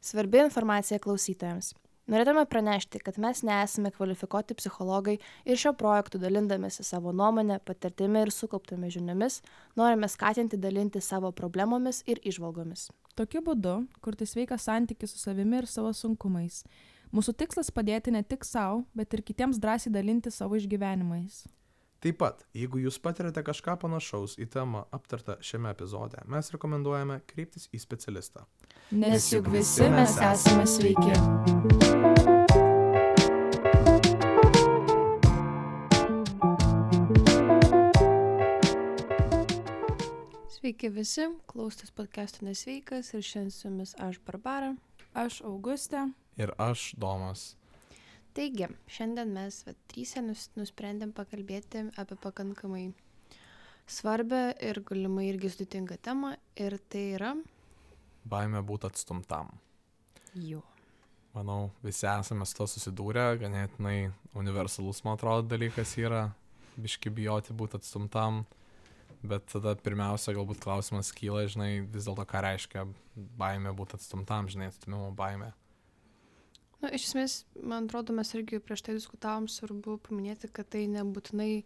Svarbi informacija klausytojams. Norėtume pranešti, kad mes nesame kvalifikuoti psichologai ir šio projektu dalindamėsi savo nuomonę, patirtimi ir sukauptomis žiniomis, norime skatinti dalinti savo problemomis ir įžvalgomis. Tokiu būdu kurti sveiką santykį su savimi ir savo sunkumais. Mūsų tikslas padėti ne tik savo, bet ir kitiems drąsiai dalinti savo išgyvenimais. Taip pat, jeigu jūs patirate kažką panašaus į temą aptartą šiame epizode, mes rekomenduojame kreiptis į specialistą. Nes juk visi mes esame sveiki. Sveiki visi, klausotės podcast'o Nesveikas ir šiandien su jumis aš Barbara. Aš Augustė. Ir aš Domas. Taigi, šiandien mes tryse nusprendėm pakalbėti apie pakankamai svarbę ir galimai irgi sudėtingą temą, ir tai yra... Baimė būti atstumtam. Jo. Manau, visi esame su to susidūrę, ganėtinai universalus, man atrodo, dalykas yra biški bijoti būti atstumtam, bet tada pirmiausia, galbūt klausimas kyla, žinai, vis dėlto ką reiškia baimė būti atstumtam, žinai, atstumimo baimė. Iš esmės, man atrodo, mes irgi prieš tai diskutavom, svarbu paminėti, kad tai nebūtinai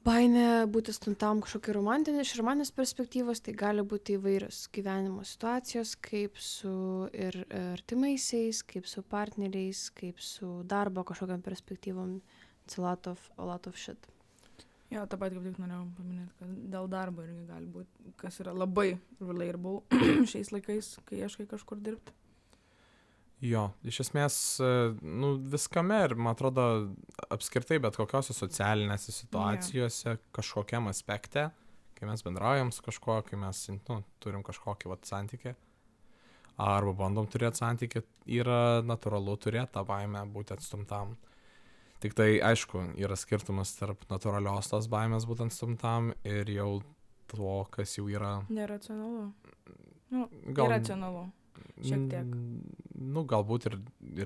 baimė būti atstumtam kažkokia iš romantinės perspektyvos, tai gali būti įvairios gyvenimo situacijos, kaip su ir artimaisiais, kaip su partneriais, kaip su darbo kažkokiam perspektyvom. It's a lot of shit. Jo, tą pat kaip tik norėjau paminėti, kad dėl darbo irgi gali būti, kas yra labai relatable šiais laikais, kai ieškai kažkur dirbti. Jo, iš esmės, viskame ir, man atrodo, apskritai bet kokiose socialinėse situacijose, kažkokiam aspekte, kai mes bendraujam su kažkuo, kai mes turim kažkokį santykį, arba bandom turėti santykį, yra natūralu turėti tą baimę būti atstumtam. Tik tai, aišku, yra skirtumas tarp natūralios tos baimės būti atstumtam ir jau to, kas jau yra... Neracionalu. Iracionalu. Šiek tiek. Galbūt ir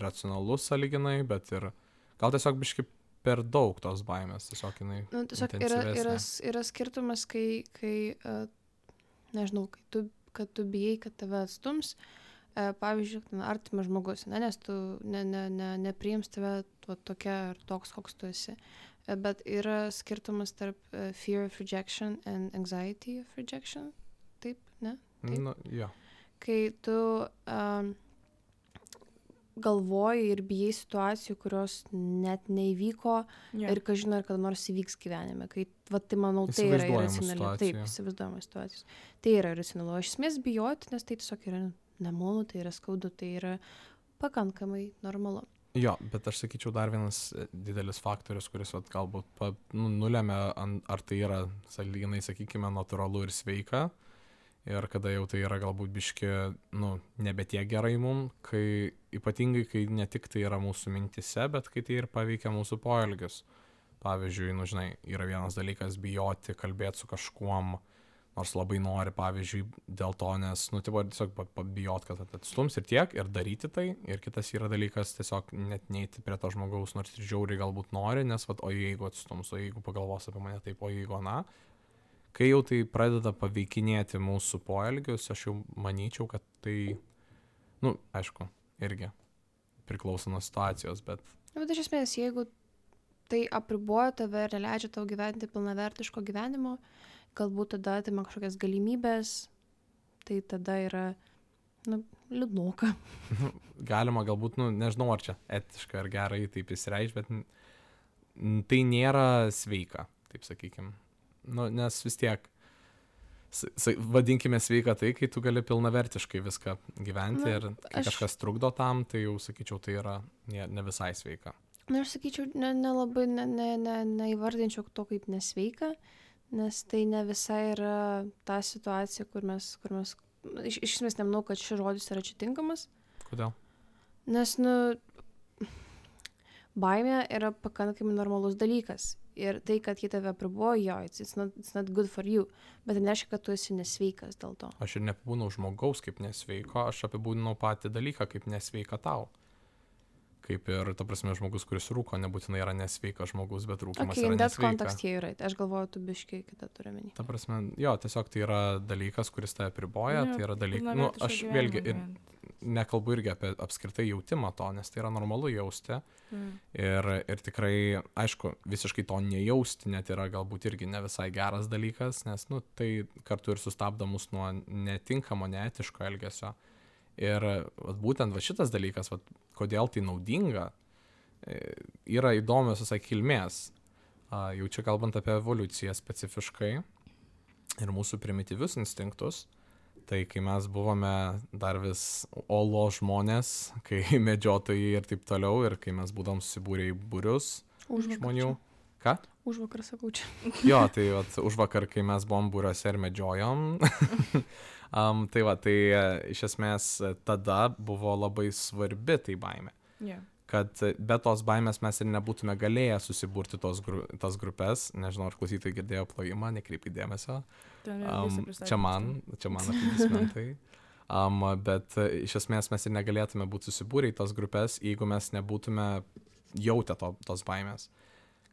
racionalus sąlyginai, bet ir gal tiesiog biškai per daug tos baimės, tiesiog jinai intensyvesnė. Yra skirtumas, kai nežinau, kad tu bijai, kad tave atstums, pavyzdžiui, artimas žmogus, nes tu nepriims tave tokia ar toks, koks tu esi. Bet yra skirtumas tarp fear of rejection and anxiety of rejection. Taip, ne? Taip? Jo. Kai tu galvoji ir bijai situacijų, kurios net neįvyko ir kažin ar kada nors įvyks gyvenime. Tai manau, tai yra iracionali. Taip, įsivaizduojama situacijos. Tai yra iracionalu. Aš esmės bijoti, nes tai tiesiog yra nemalonu, tai yra skaudu, tai yra pakankamai normalu. Jo, bet aš sakyčiau dar vienas didelis faktorius, kuris galbūt nulemia, ar tai yra, sąlyginai, sakykime, natūralu ir sveika. Ir kada jau tai yra galbūt biški, nebe tiek gerai mum, ypatingai, kai ne tik tai yra mūsų mintise, bet kai tai ir paveikia mūsų poelgius. Pavyzdžiui, žinai, yra vienas dalykas bijoti, kalbėti su kažkuom, nors labai nori, pavyzdžiui, dėl to, nes, tiesiog bijot, kad atstums ir tiek, ir daryti tai. Ir kitas yra dalykas tiesiog net neiti prie to žmogaus, nors ir žiauriai galbūt nori, nes, o jeigu atstums, o jeigu pagalvos apie mane taip, o jeigu kai jau tai pradeda paveikinėti mūsų poelgius, aš jau manyčiau, kad tai, aišku, irgi priklauso nuo situacijos, bet... Bet iš esmės, jeigu tai apriboja tave ir neleidžia tau gyventi pilnavertiško gyvenimo, galbūt tada atima kažkokias galimybės, tai tada yra, liūdnoka. Galima galbūt, nežinau, ar čia etiška ar gerai taip įsireikšti, bet tai nėra sveika, taip sakykim. Nes vis tiek, vadinkime sveika tai, kai tu gali pilnavertiškai viską gyventi ir kai kažkas trukdo tam, tai jau sakyčiau, tai yra ne visai sveika. Aš sakyčiau, nelabai neįvardinčiau to kaip nesveika, nes tai ne visai yra ta situacija, kur mes iš esmės nemanau, kad šis žodis yra čia tinkamas. Kodėl? Nes, baimė yra pakankamai normalus dalykas. Ir tai, kad jie tave apribojo, it's not good for you. Bet tai nereiškia, kad tu esi nesveikas dėl to. Aš ir neapibūdinau žmogaus kaip nesveiko, aš apibūdinau patį dalyką kaip nesveika tau. Kaip ir, ta prasme, žmogus, kuris rūko, nebūtinai yra nesveikas žmogus, bet rūkimas Okay, yra in that nesveika. context here, right. Aš galvoju, tu biškai kitą turi menį. Ta prasme, jo, tiesiog tai yra dalykas, kuris tave apriboja, tai yra dalykas. Nu, aš vėlgi ir nekalbu irgi apie apskritai jautimą to, nes tai yra normalu jausti. Ir tikrai, aišku, visiškai to nejausti net yra galbūt irgi ne visai geras dalykas, nes, nu, tai kartu ir sustabdo mus nuo netinkamo, neetiško elgesio. Ir būtent šitas dalykas, kodėl tai naudinga, yra įdomios visai kilmės. Jau čia kalbant apie evoliuciją specifiškai ir mūsų primityvius instinktus, tai kai mes buvome dar vis olo žmonės, kai medžiotojai ir taip toliau, ir kai mes būdom susibūrę į būrius žmonių. Ką? Užvakar sakau čia. Jo, tai užvakar, kai mes buvom būriuose ir medžiojom. Tai iš esmės tada buvo labai svarbi tai baimė. Yeah. Kad be tos baimės mes ir nebūtume galėję susiburti tas grupės. Nežinau, ar klausytojai girdėjo plojimą, nekreipkite dėmesio. Čia man aplodismentai. Bet iš esmės mes ir negalėtume būti susibūrę į tas grupės, jeigu mes nebūtume jautę tos baimės.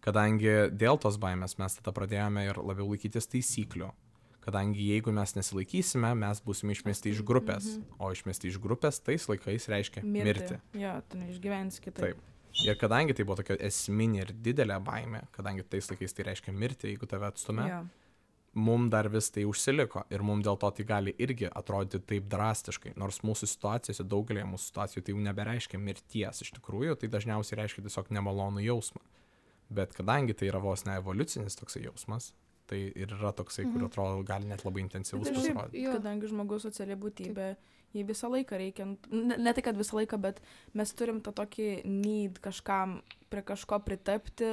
Kadangi dėl tos baimės mes tada pradėjome ir labiau laikytis taisyklių. Kadangi jeigu mes nesilaikysime, mes būsime išmesti iš grupės. O išmesti iš grupės tais laikais reiškia mirti. Jo, tu neišgyvensi kitaip. Taip. Ir kadangi tai buvo tokia esminė ir didelė baimė, kadangi tais laikais tai reiškia mirti, jeigu tave atstumia, mum dar vis tai užsiliko. Ir mum dėl to tai gali irgi atrodyti taip drastiškai. Nors mūsų situacijose, daugelėje mūsų situacijų tai jau nebereiškia mirties. Iš tikrųjų, tai dažniausiai reiškia tiesiog nemalonų jausmą. Bet kadangi tai yra vos ne evoliucinis toksai jausmas, tai ir yra toksai, kur atrodo gali net labai intensyvus pasirodyti. Kadangi žmogus sociali būtybė, jį visą laiką reikia, ne tai, kad visą laiką, bet mes turim tą tokį need kažkam, prie kažko pritapti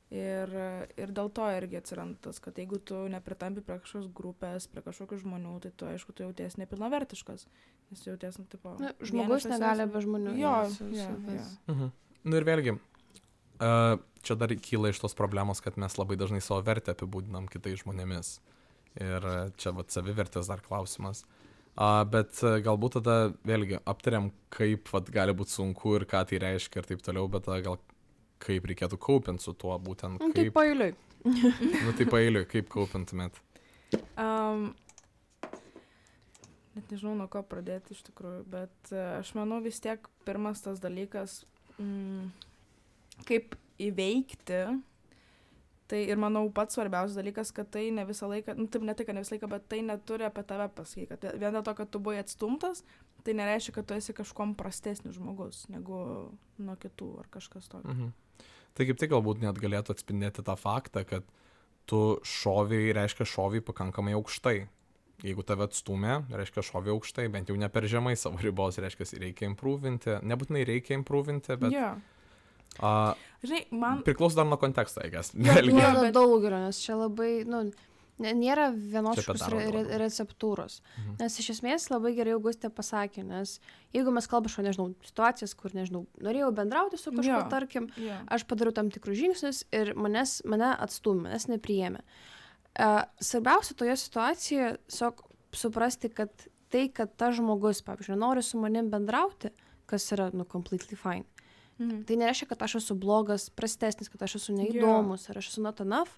ir dėl to irgi atsiranda tas, kad jeigu tu nepritampi prie kažkokios grupės, prie kažkokių žmonių, tai tu, aišku, tu jautiesi nepilnavertiškas, nes jautiesi, tipo... Žmogus negali be žmonių. Jo. Nu ir vėlgi, čia dar kyla iš tos problemos, kad mes labai dažnai savo vertę apibūdinam kitais žmonėmis. Ir čia savivertės dar klausimas. Bet galbūt tada vėlgi aptariam, kaip gali būti sunku ir ką tai reiškia ir taip toliau, bet gal kaip reikėtų kaupinti su tuo būtent. Tai paeiliui. Tai paeiliui, kaip kaupintumėt? Net nežinau, nuo ko pradėti iš tikrųjų, bet aš manau vis tiek pirmas tas dalykas, kaip įveikti, tai ir manau pats svarbiausias dalykas, kad tai ne visą laiką, taip ne tai, kad ne visą laiką, bet tai neturi apie tave pasakyti, kad vien dėl to, kad tu buvai atstumtas, tai nereiškia, kad tu esi kažkuom prastesnis žmogus, negu nuo kitų ar kažkas tokio. Tai kaip tai galbūt net galėtų atspindėti tą faktą, kad tu reiškia šoviai pakankamai aukštai. Jeigu tave atstumė, reiškia šoviai aukštai, bent jau ne per žemai savo ribos, reiškia reikia improvinti, nebūtinai reikia improvinti, bet... Žinai, man... Priklauso dar nuo konteksto, eigas. Yra daugelio, nes čia labai, nėra vienos receptūros. Nes iš esmės labai gerai Augustė pasakė, nes jeigu mes kalbame, nežinau, situacijas, kur, nežinau, norėjau bendrauti su kažkuo, tarkim, aš padariau tam tikrus žingsnius ir mane atstūmė, manęs nepriėmė. Svarbiausia toje situacijoje suprasti, kad tai, kad tas žmogus, pavyzdžiui, nori su manim bendrauti, kas yra, completely fine. Tai nereiškia, kad aš esu blogas, prastesnis, kad aš esu neįdomus, ar aš esu not enough.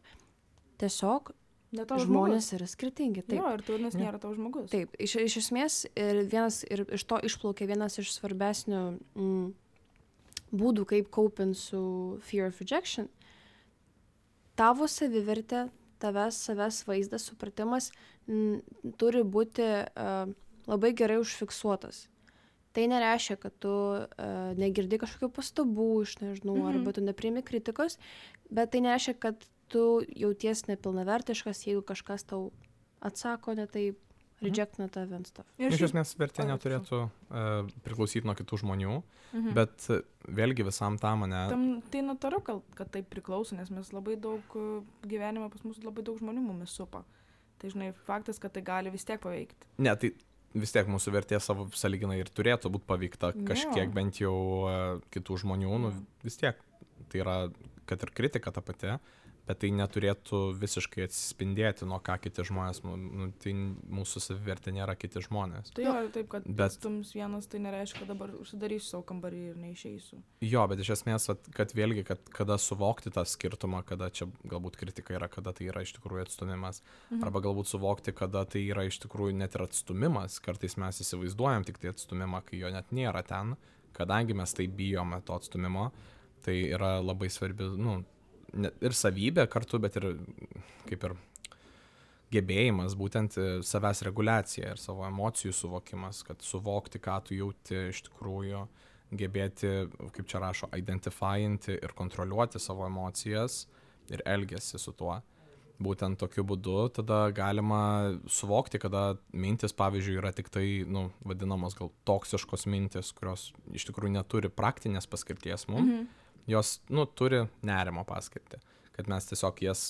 Tiesiog žmonės yra skirtingi. Taip. Jo, ir turinys nėra tavo žmogus. Taip, iš esmės ir iš to išplaukia vienas iš svarbesnių būdų, kaip kaupint su fear of rejection. Tavo savivertė, savęs vaizdas, supratimas turi būti labai gerai užfiksuotas. Tai nereiškia, kad tu negirdi kažkokių pastabų iš, nežinau, arba tu nepriimi kritikos, bet tai nereiškia, kad tu jauties nepilnavertiškas, jeigu kažkas tau atsako, ne taip, rejectina tave ant stuff. Iš esmės vertė neturėtų priklausyti nuo kitų žmonių, bet vėlgi visam tam, ne... Tai natūralu, kad taip priklauso, nes mes labai daug gyvenime pas mus labai daug žmonių mumis supa. Tai žinai, faktas, kad tai gali vis tiek paveikti. Ne, tai vis tiek mūsų vertė savo sąlyginai ir turėtų būti paveikta kažkiek bent jau kitų žmonių, vis tiek tai yra, kad ir kritika ta pati, bet tai neturėtų visiškai atsispindėti, nuo ką kiti žmonės, tai mūsų savivertė nėra kiti žmonės. Tai jo, taip, kad stums vienas, tai nereiškia, kad dabar užsidarysiu savo kambarį ir neišeisiu. Jo, bet iš esmės, kad vėlgi, kada suvokti tą skirtumą, kada čia galbūt kritika yra, kada tai yra iš tikrųjų atstumimas, arba galbūt suvokti, kada tai yra iš tikrųjų net ir atstumimas, kartais mes įsivaizduojam tik tai atstumimą, kai jo net nėra ten, kadangi mes tai bijome to atstumimo, tai yra labai svarbi, ir savybė kartu, bet ir kaip ir gebėjimas, būtent savęs reguliacija ir savo emocijų suvokimas, kad suvokti, ką tu jauti iš tikrųjų, gebėti, kaip čia rašo, identifyinti ir kontroliuoti savo emocijas ir elgesį su tuo. Būtent tokiu būdu tada galima suvokti, kada mintis, pavyzdžiui, yra tik tai, vadinamos gal toksiškos mintis, kurios iš tikrųjų neturi praktinės paskirties mums. Jos, turi nerimo paskirtį, kad mes tiesiog jas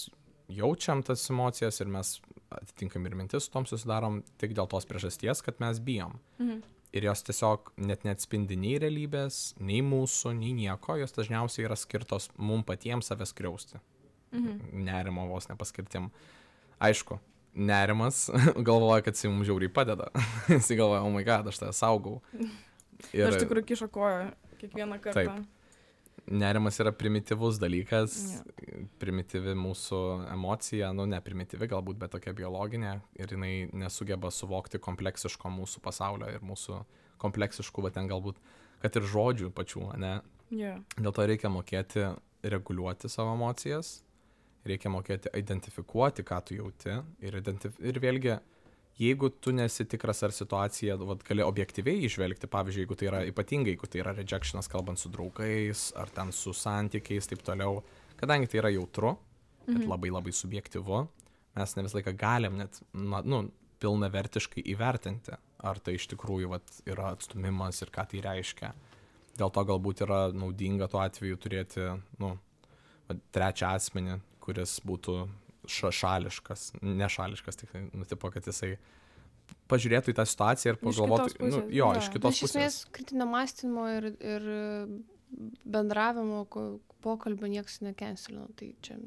jaučiam tas emocijas ir mes atitinkam ir mintis su tom susidarom tik dėl tos priežasties, kad mes bijom. Ir jos tiesiog net neatspindi nei realybės, nei mūsų, nei nieko, jos dažniausiai yra skirtos mum patiems savęs skriausti. Nerimo vos nepaskirtim. Aišku, nerimas galvoja, kad jis mums žiauriai padeda. Jis galvoja, oh my god, aš tave saugau. Ir aš tikrai kiša koją kiekvieną kartą. Taip. Nerimas yra primityvus dalykas, primityvi mūsų emocija, ne primityvi galbūt, bet tokia biologinė, ir jinai nesugeba suvokti kompleksiško mūsų pasaulio ir mūsų kompleksiškų, bet ten galbūt, kad ir žodžių pačių, ne? Dėl to reikia mokėti reguliuoti savo emocijas, reikia mokėti identifikuoti, ką tu jauti, ir vėlgi, jeigu tu nesi tikras, ar situacija, gali objektyviai išvelgti, pavyzdžiui, jeigu tai yra ypatingai, jeigu tai yra rejectionas kalbant su draugais, ar ten su santykiais, taip toliau, kadangi tai yra jautru, bet labai labai subjektyvu, mes ne visą laiką galim net, pilnavertiškai įvertinti, ar tai iš tikrųjų yra atstumimas ir ką tai reiškia. Dėl to galbūt yra naudinga tuo atveju turėti, trečią asmenį, kuris būtų šališkas, nešališkas, tik tipo, kad jisai pažiūrėtų į tą situaciją ir pagalvotų, iš kitos pusės. Iš esmės, kritinio mąstymo ir bendravimo pokalbio nieks nekenselino, tai čia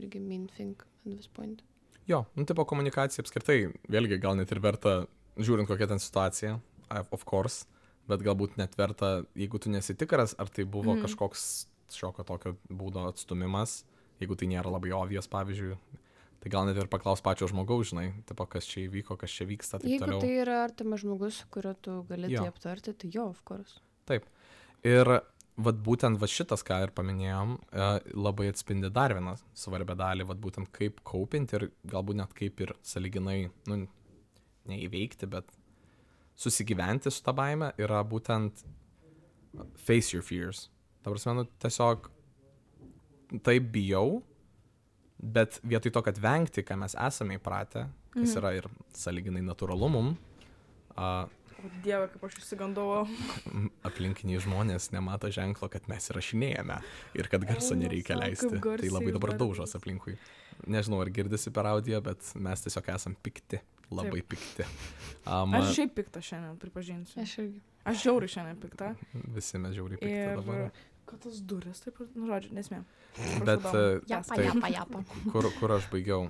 irgi main thing at this point. Jo, tipo komunikacija apskritai, vėlgi gal net ir verta, žiūrint kokia ten situacija, of course, bet galbūt net verta, jeigu tu nesi tikras, ar tai buvo kažkoks šiokio tokio būdo atstumimas, jeigu tai nėra labai obvious, pavyzdžiui, tai gal net ir paklaus pačio žmogaus, žinai, tipo, kas čia įvyko, kas čia vyksta, taip jeigu toliau. Jeigu tai yra artimas žmogus, su kuriuo tu gali tai aptarti, tai of course. Taip. Ir būtent šitas, ką ir paminėjom, labai atspindi dar vieną svarbę dalį, būtent kaip kaupinti ir galbūt net kaip ir sąlyginai, neįveikti, bet susigyventi su tą baimę, yra būtent face your fears. Ta prasme, tiesiog taip bijau, bet vietoj to, kad vengti, ką mes esame įpratę, kas yra ir sąlyginai natūralu mum. O Dieve, kaip aš išsigandau. Aplinkiniai žmonės nemato ženklo, kad mes įrašinėjame ir kad garso nereikia leisti. Tai labai dabar daužos aplinkui. Nežinau, ar girdisi per audio, bet mes tiesiog esam pikti. Labai pikti. Aš šiaip pikta šiandien, pripažinsiu. Aš irgi. Aš žiauriai šiandien pikta. Visi mes žiauriai pikti dabar. Kad tas duris, taip, žodžiu, nesmė. Bet Japa. Kur aš baigiau?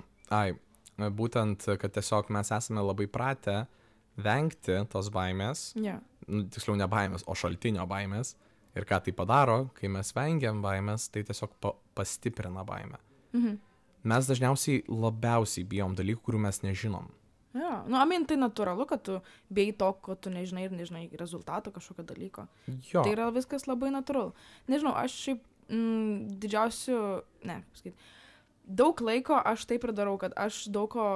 Būtent, kad tiesiog mes esame labai pratę vengti tos baimės, tiksliau ne baimės, o šaltinio baimės. Ir ką tai padaro, kai mes vengiam baimės, tai tiesiog pastiprina baimę. Mes dažniausiai labiausiai bijom dalykų, kurių mes nežinom. Tai natūralu, kad tu bijai to, ko tu nežinai ir nežinai rezultato kažkokio dalyko. Tai yra viskas labai natūralu. Nežinau, aš šiaip daug laiko aš taip ir darau, kad aš daug ko,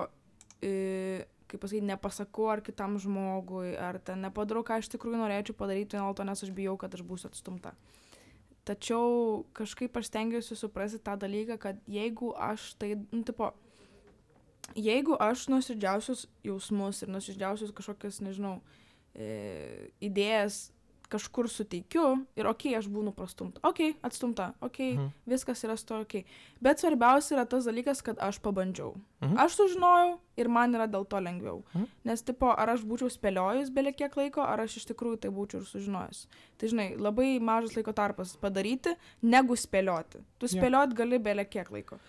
kaip pasakyti, nepasakau ar kitam žmogui, ar ten nepadarau, ką iš tikrųjų norėčiau padaryti, dėl to, nes aš bijau, kad aš būsiu atstumta. Tačiau kažkaip aš stengiuosi suprasti tą dalyką, kad jeigu aš tai, jeigu aš nuoširdžiausius jausmus ir nuoširdžiausius kažkokias, nežinau, idėjas kažkur suteikiu ir aš būnu prastumta. Atstumta, viskas yra su to, bet svarbiausia yra tas dalykas, kad aš pabandžiau. Aš sužinojau ir man yra dėl to lengviau. Nes, tipo, ar aš būčiau spėliojus belie kiek laiko, ar aš iš tikrųjų tai būčiau ir sužinojus. Tai, žinai, labai mažas laiko tarpas padaryti, negu spėlioti. Tu spėliot gali belie kiek laiko.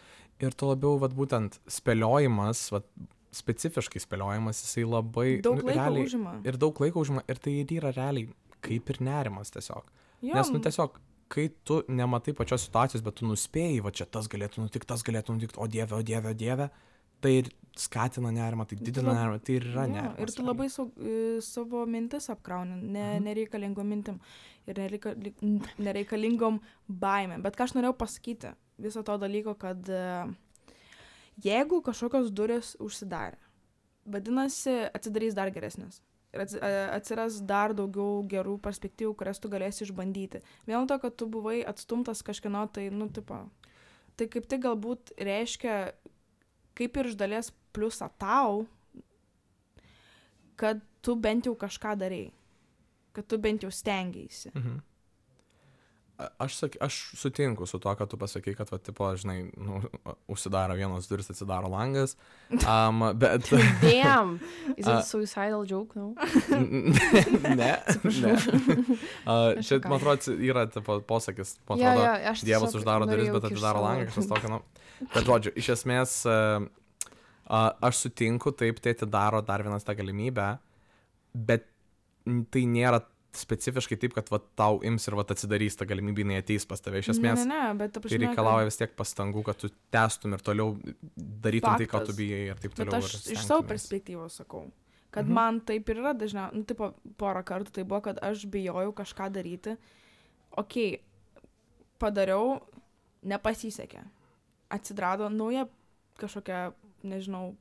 Ir to labiau, vat, būtent spėliojimas, vat, specifiškai spėliojimas, jisai labai Daug laiko realiai, užima. ir daug laiko užima, ir tai ir yra realiai kaip ir nerimas tiesiog. Jo, Nes, tiesiog, kai tu nematai pačios situacijos, bet tu nuspėjai, va čia tas galėtų nutikti, o dieve, tai ir skatina nerimą, tai didina nerimą, tai ir yra nerimas. Ir tu labai savo mintis apkrauni, nereikalingom mintim ir nereikalingom baimėm. Bet ką aš norėjau pasakyti viso to dalyko, kad jeigu kažkokios durys užsidarė, vadinasi, atsidarys dar geresnės. Ir atsiras dar daugiau gerų perspektyvų, kurias tu galėsi išbandyti. Vien to, kad tu buvai atstumtas kažkieno, tai, tai kaip tik galbūt reiškia, kaip ir iš dalies pliusą tau, kad tu bent jau kažką darei. Kad tu bent jau stengiaisi. Aš sutinku su to, kad tu pasakai, kad, va, tipo, žinai, užsidaro vienos duris, atsidaro langas, bet... Damn! Is it a suicidal joke, no? Ne. Čia, man atrodo, yra, tipo, posakis, man atrodo, Dievas uždaro duris, bet atidaro langą, kažkas tokio, Bet, žodžiu, iš esmės, aš sutinku, taip, tai atidaro dar vienas tą galimybę, bet tai nėra specifiškai taip, kad va, tau ims ir va, atsidarys tą galimybę, jinai ateis pas tave. Iš esmės, bet tai reikalauja vis tiek pastangų, kad tu testum ir toliau darytum tai, ką tu bijai ir taip toliau. Bet aš iš savo perspektyvos sakau, kad man taip ir yra dažniausiai, tipo, porą kartų tai buvo, kad aš bijojau kažką daryti. Okei, padariau, nepasisekė. Atsidrado nauja kažkokia, nežinau,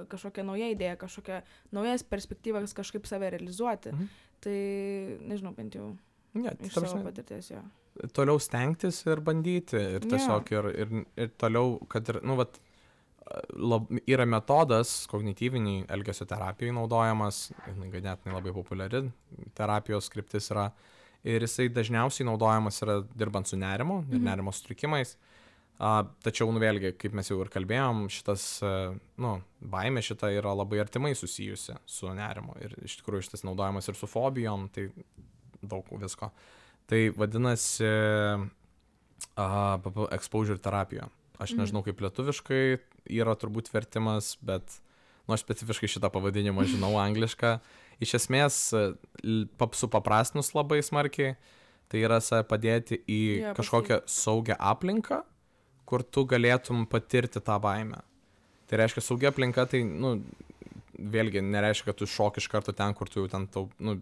kažkokia nauja idėja, kažkokia naujas perspektyvas kažkaip save realizuoti. Tai, nežinau, bent jau iš savo patirties, jo. Toliau stengtis ir bandyti. Ir tiesiog ir toliau, kad ir, vat, yra metodas kognityviniai elgesio terapijai naudojamas, ganėtinai labai populiari terapijos kryptis yra. Ir jisai dažniausiai naudojamas yra dirbant su nerimu ir nerimo sutrikimais. Tačiau, vėlgi, kaip mes jau ir kalbėjom, šitas, baimė šita yra labai artimai susijusi su nerimu. Ir iš tikrųjų šitas naudojamas ir su fobijom, tai daug visko. Tai vadinasi exposure terapija. Aš nežinau, kaip lietuviškai yra turbūt vertimas, bet aš specifiškai šitą pavadinimą žinau anglišką. Iš esmės, supaprastinus labai smarkiai, tai yra padėti į kažkokią saugią aplinką, kur tu galėtum patirti tą baimę. Tai reiškia, saugia aplinka, tai, vėlgi, nereiškia, kad tu šoki iš karto ten, kur tu jau ten,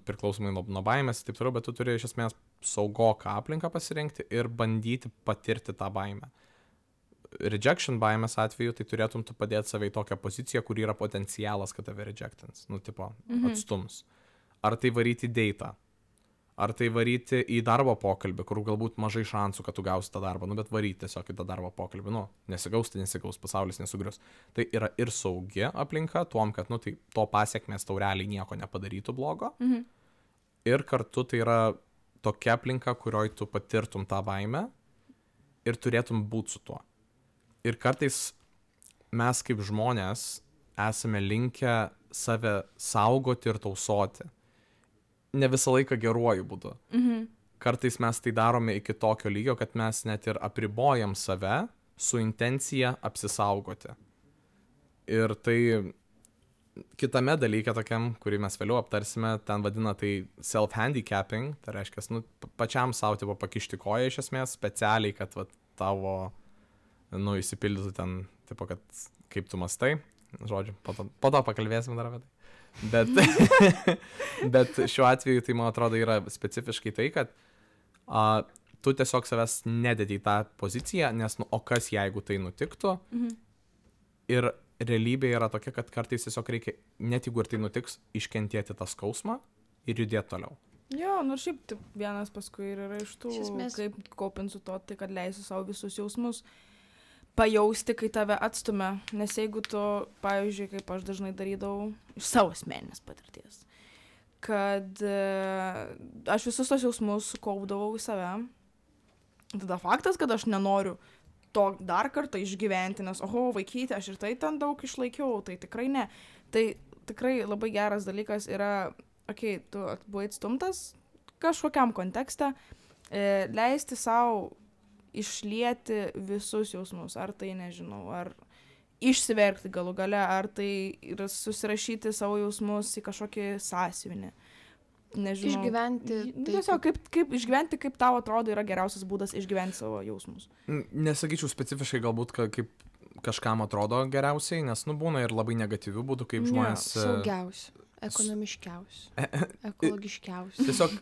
priklausomai nuo baimės ir taip toliau, bet tu turi iš esmės saugoką aplinką pasirinkti ir bandyti patirti tą baimę. Rejection baimės atveju, tai turėtum tu padėti save į tokią poziciją, kur yra potencialas, kad tave rejectins, atstums. Ar tai varyti į datą, ar tai varyti į darbo pokalbį, kur galbūt mažai šansų, kad tu gausi tą darbą, bet varyti tiesiog į tą darbo pokalbį, nesigaus, tai nesigaus, pasaulis nesugrius. Tai yra ir saugi aplinka, tuom, kad, tai to pasiekmės tau realiai nieko nepadarytų blogo. Ir kartu tai yra tokia aplinka, kurioj tu patirtum tą baimę ir turėtum būti su tuo. Ir kartais mes kaip žmonės esame linkę save saugoti ir tausoti. Ne visą laiką geruoju būdu. Kartais mes tai darome iki tokio lygio, kad mes net ir apribojam save su intencija apsisaugoti. Ir tai kitame dalyke tokiam, kurį mes vėliau aptarsime, ten vadina tai self-handicapping, tai reiškia, pačiam savo tipo pakišti koją iš esmės, specialiai, kad tavo, įsipildytų ten, tipo, kad kaip tu mastai, žodžiu, po to pakalbėsim dar apie tai. Bet šiuo atveju tai, man atrodo, yra specifiškai tai, kad tu tiesiog savęs nededi į tą poziciją, nes, o kas jeigu tai nutiktų? Ir realybė yra tokia, kad kartais tiesiog reikia, net jeigu ir tai nutiks, iškentėti tą skausmą ir judėti toliau. Jo, šiaip vienas paskui yra iš tų, kaip kopint su to, tai kad leisi savo visus jausmus pajausti, kai tave atstumia, nes jeigu tu, pavyzdžiui, kaip aš dažnai darydavau iš savo asmeninės patirties, kad aš visus tos jausmus sukaupdavau į save, tada faktas, kad aš nenoriu to dar kartą išgyventi, nes, oho, vaikyti, aš ir tai ten daug išlaikiau, tai tikrai ne. Tai tikrai labai geras dalykas yra, tu buvai atstumtas kažkokiam kontekste, leisti savo išlieti visus jausmus, ar tai, nežinau, ar išsiverkti galų gale, ar tai yra susirašyti savo jausmus į kažkokį sąsiuvinį. Nežinau. Išgyventi. Tiesiog kaip išgyventi, kaip tau atrodo yra geriausias būdas išgyventi savo jausmus. Nesakyčiau specifiškai galbūt, kaip kažkam atrodo geriausiai, nes, būna ir labai negatyvių būdų, kaip žmonės... Saugiausių, ekonomiškiausių, ekologiškiausių. Tiesiog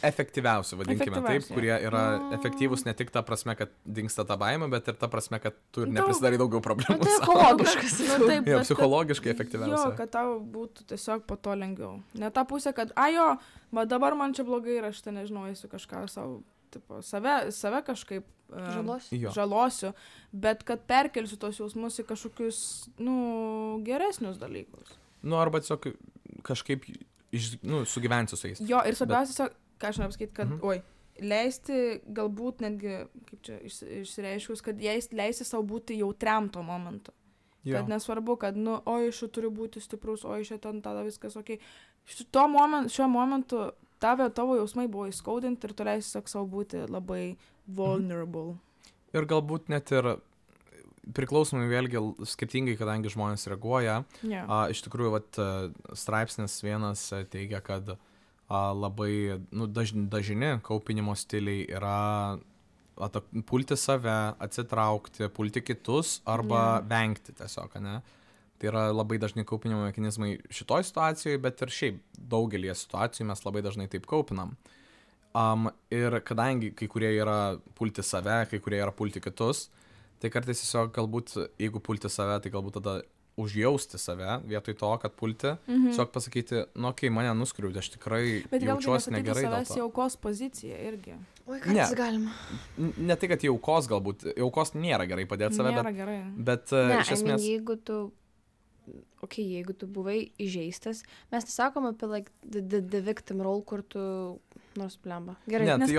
efektyviausių, vadinkime taip, kurie yra efektyvūs ne tik ta prasme, kad dingsta ta baimė, bet ir ta prasme, kad tu ir neprisidarai daugiau problemų. Tai ekologiškas. Taip, jo, psichologiškai efektyviausia. Jo, kad tau būtų tiesiog po to lengviau. Ne ta pusė, kad, va dabar man čia blogai ir aš ten nežinau, esu kažką savo, tipo, save kažkaip žalosiu, bet kad perkelsiu tos jausmus į kažkokius, geresnius dalykus. Arba tiesiog kažkaip sugyvensiu su jais. Jo, ir svarbiausia, ką aš noriu pasakyti, kad, leisti galbūt netgi, kaip čia išsireiškus, kad leisti savo būti jautriam to momentu. Jo. Kad nesvarbu, kad, šiuo turiu būti stiprus, šiuo ten tada viskas ok. Šiuo momentu tavo jausmai buvo įskaudinti ir tu leisi savo būti labai vulnerable. Ir galbūt net ir priklausomai vėlgi skirtingai, kadangi žmonės reaguoja. Iš tikrųjų, straipsnis vienas teigia, kad labai dažni kaupinimo stiliai yra pulti save, atsitraukti, pulti kitus arba vengti tiesiog, ne? Tai yra labai dažnai kaupinimo mechanizmai šitoj situacijoje, bet ir šiaip daugelį situacijų mes labai dažnai taip kaupinam. Ir kadangi kai kurie yra pulti save, kai kurie yra pulti kitus, tai kartais tiesiog galbūt, jeigu pulti save, tai galbūt tada užjausti save, vietoj to, kad pulti, tiesiog pasakyti, mane nuskriaudė, aš tikrai jaučiuosi negerai dėl to. Bet savęs į aukos poziciją irgi. Oi, kartais galima. Ne tai, kad į aukos galbūt, aukos nėra gerai padėti save, bet iš esmės... Jeigu tu buvai įžeistas, mes nesakom apie the victim role, kur tu nors plemba. Gerai. Ne, tai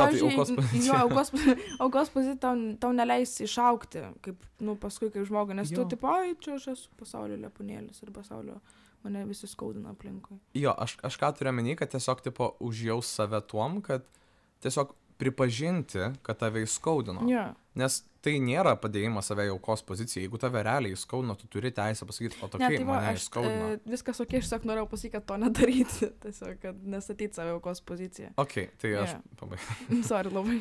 aukos pozicija tau neleis išaukti, kaip, paskui kaip žmogui, nes tu, tipo, čia aš esu pasaulio lepūnėlis ir pasaulio mane visi skaudina aplinkui. Jo, aš ką turiu omeny, kad tiesiog, tipo, užjaus save tuom, kad tiesiog pripažinti, kad tave įskaudino. Yeah. Nes tai nėra padėjimas save į aukos poziciją. Jeigu tave realiai įskaudino, tu turi teisę pasakyti, mane įskaudino. Viskas aš tiesiog norėjau pasakyti, kad to nedaryti. Tiesiog, kad nestatyti save į aukos poziciją. Tai aš pabaigiau. Sorry, labai.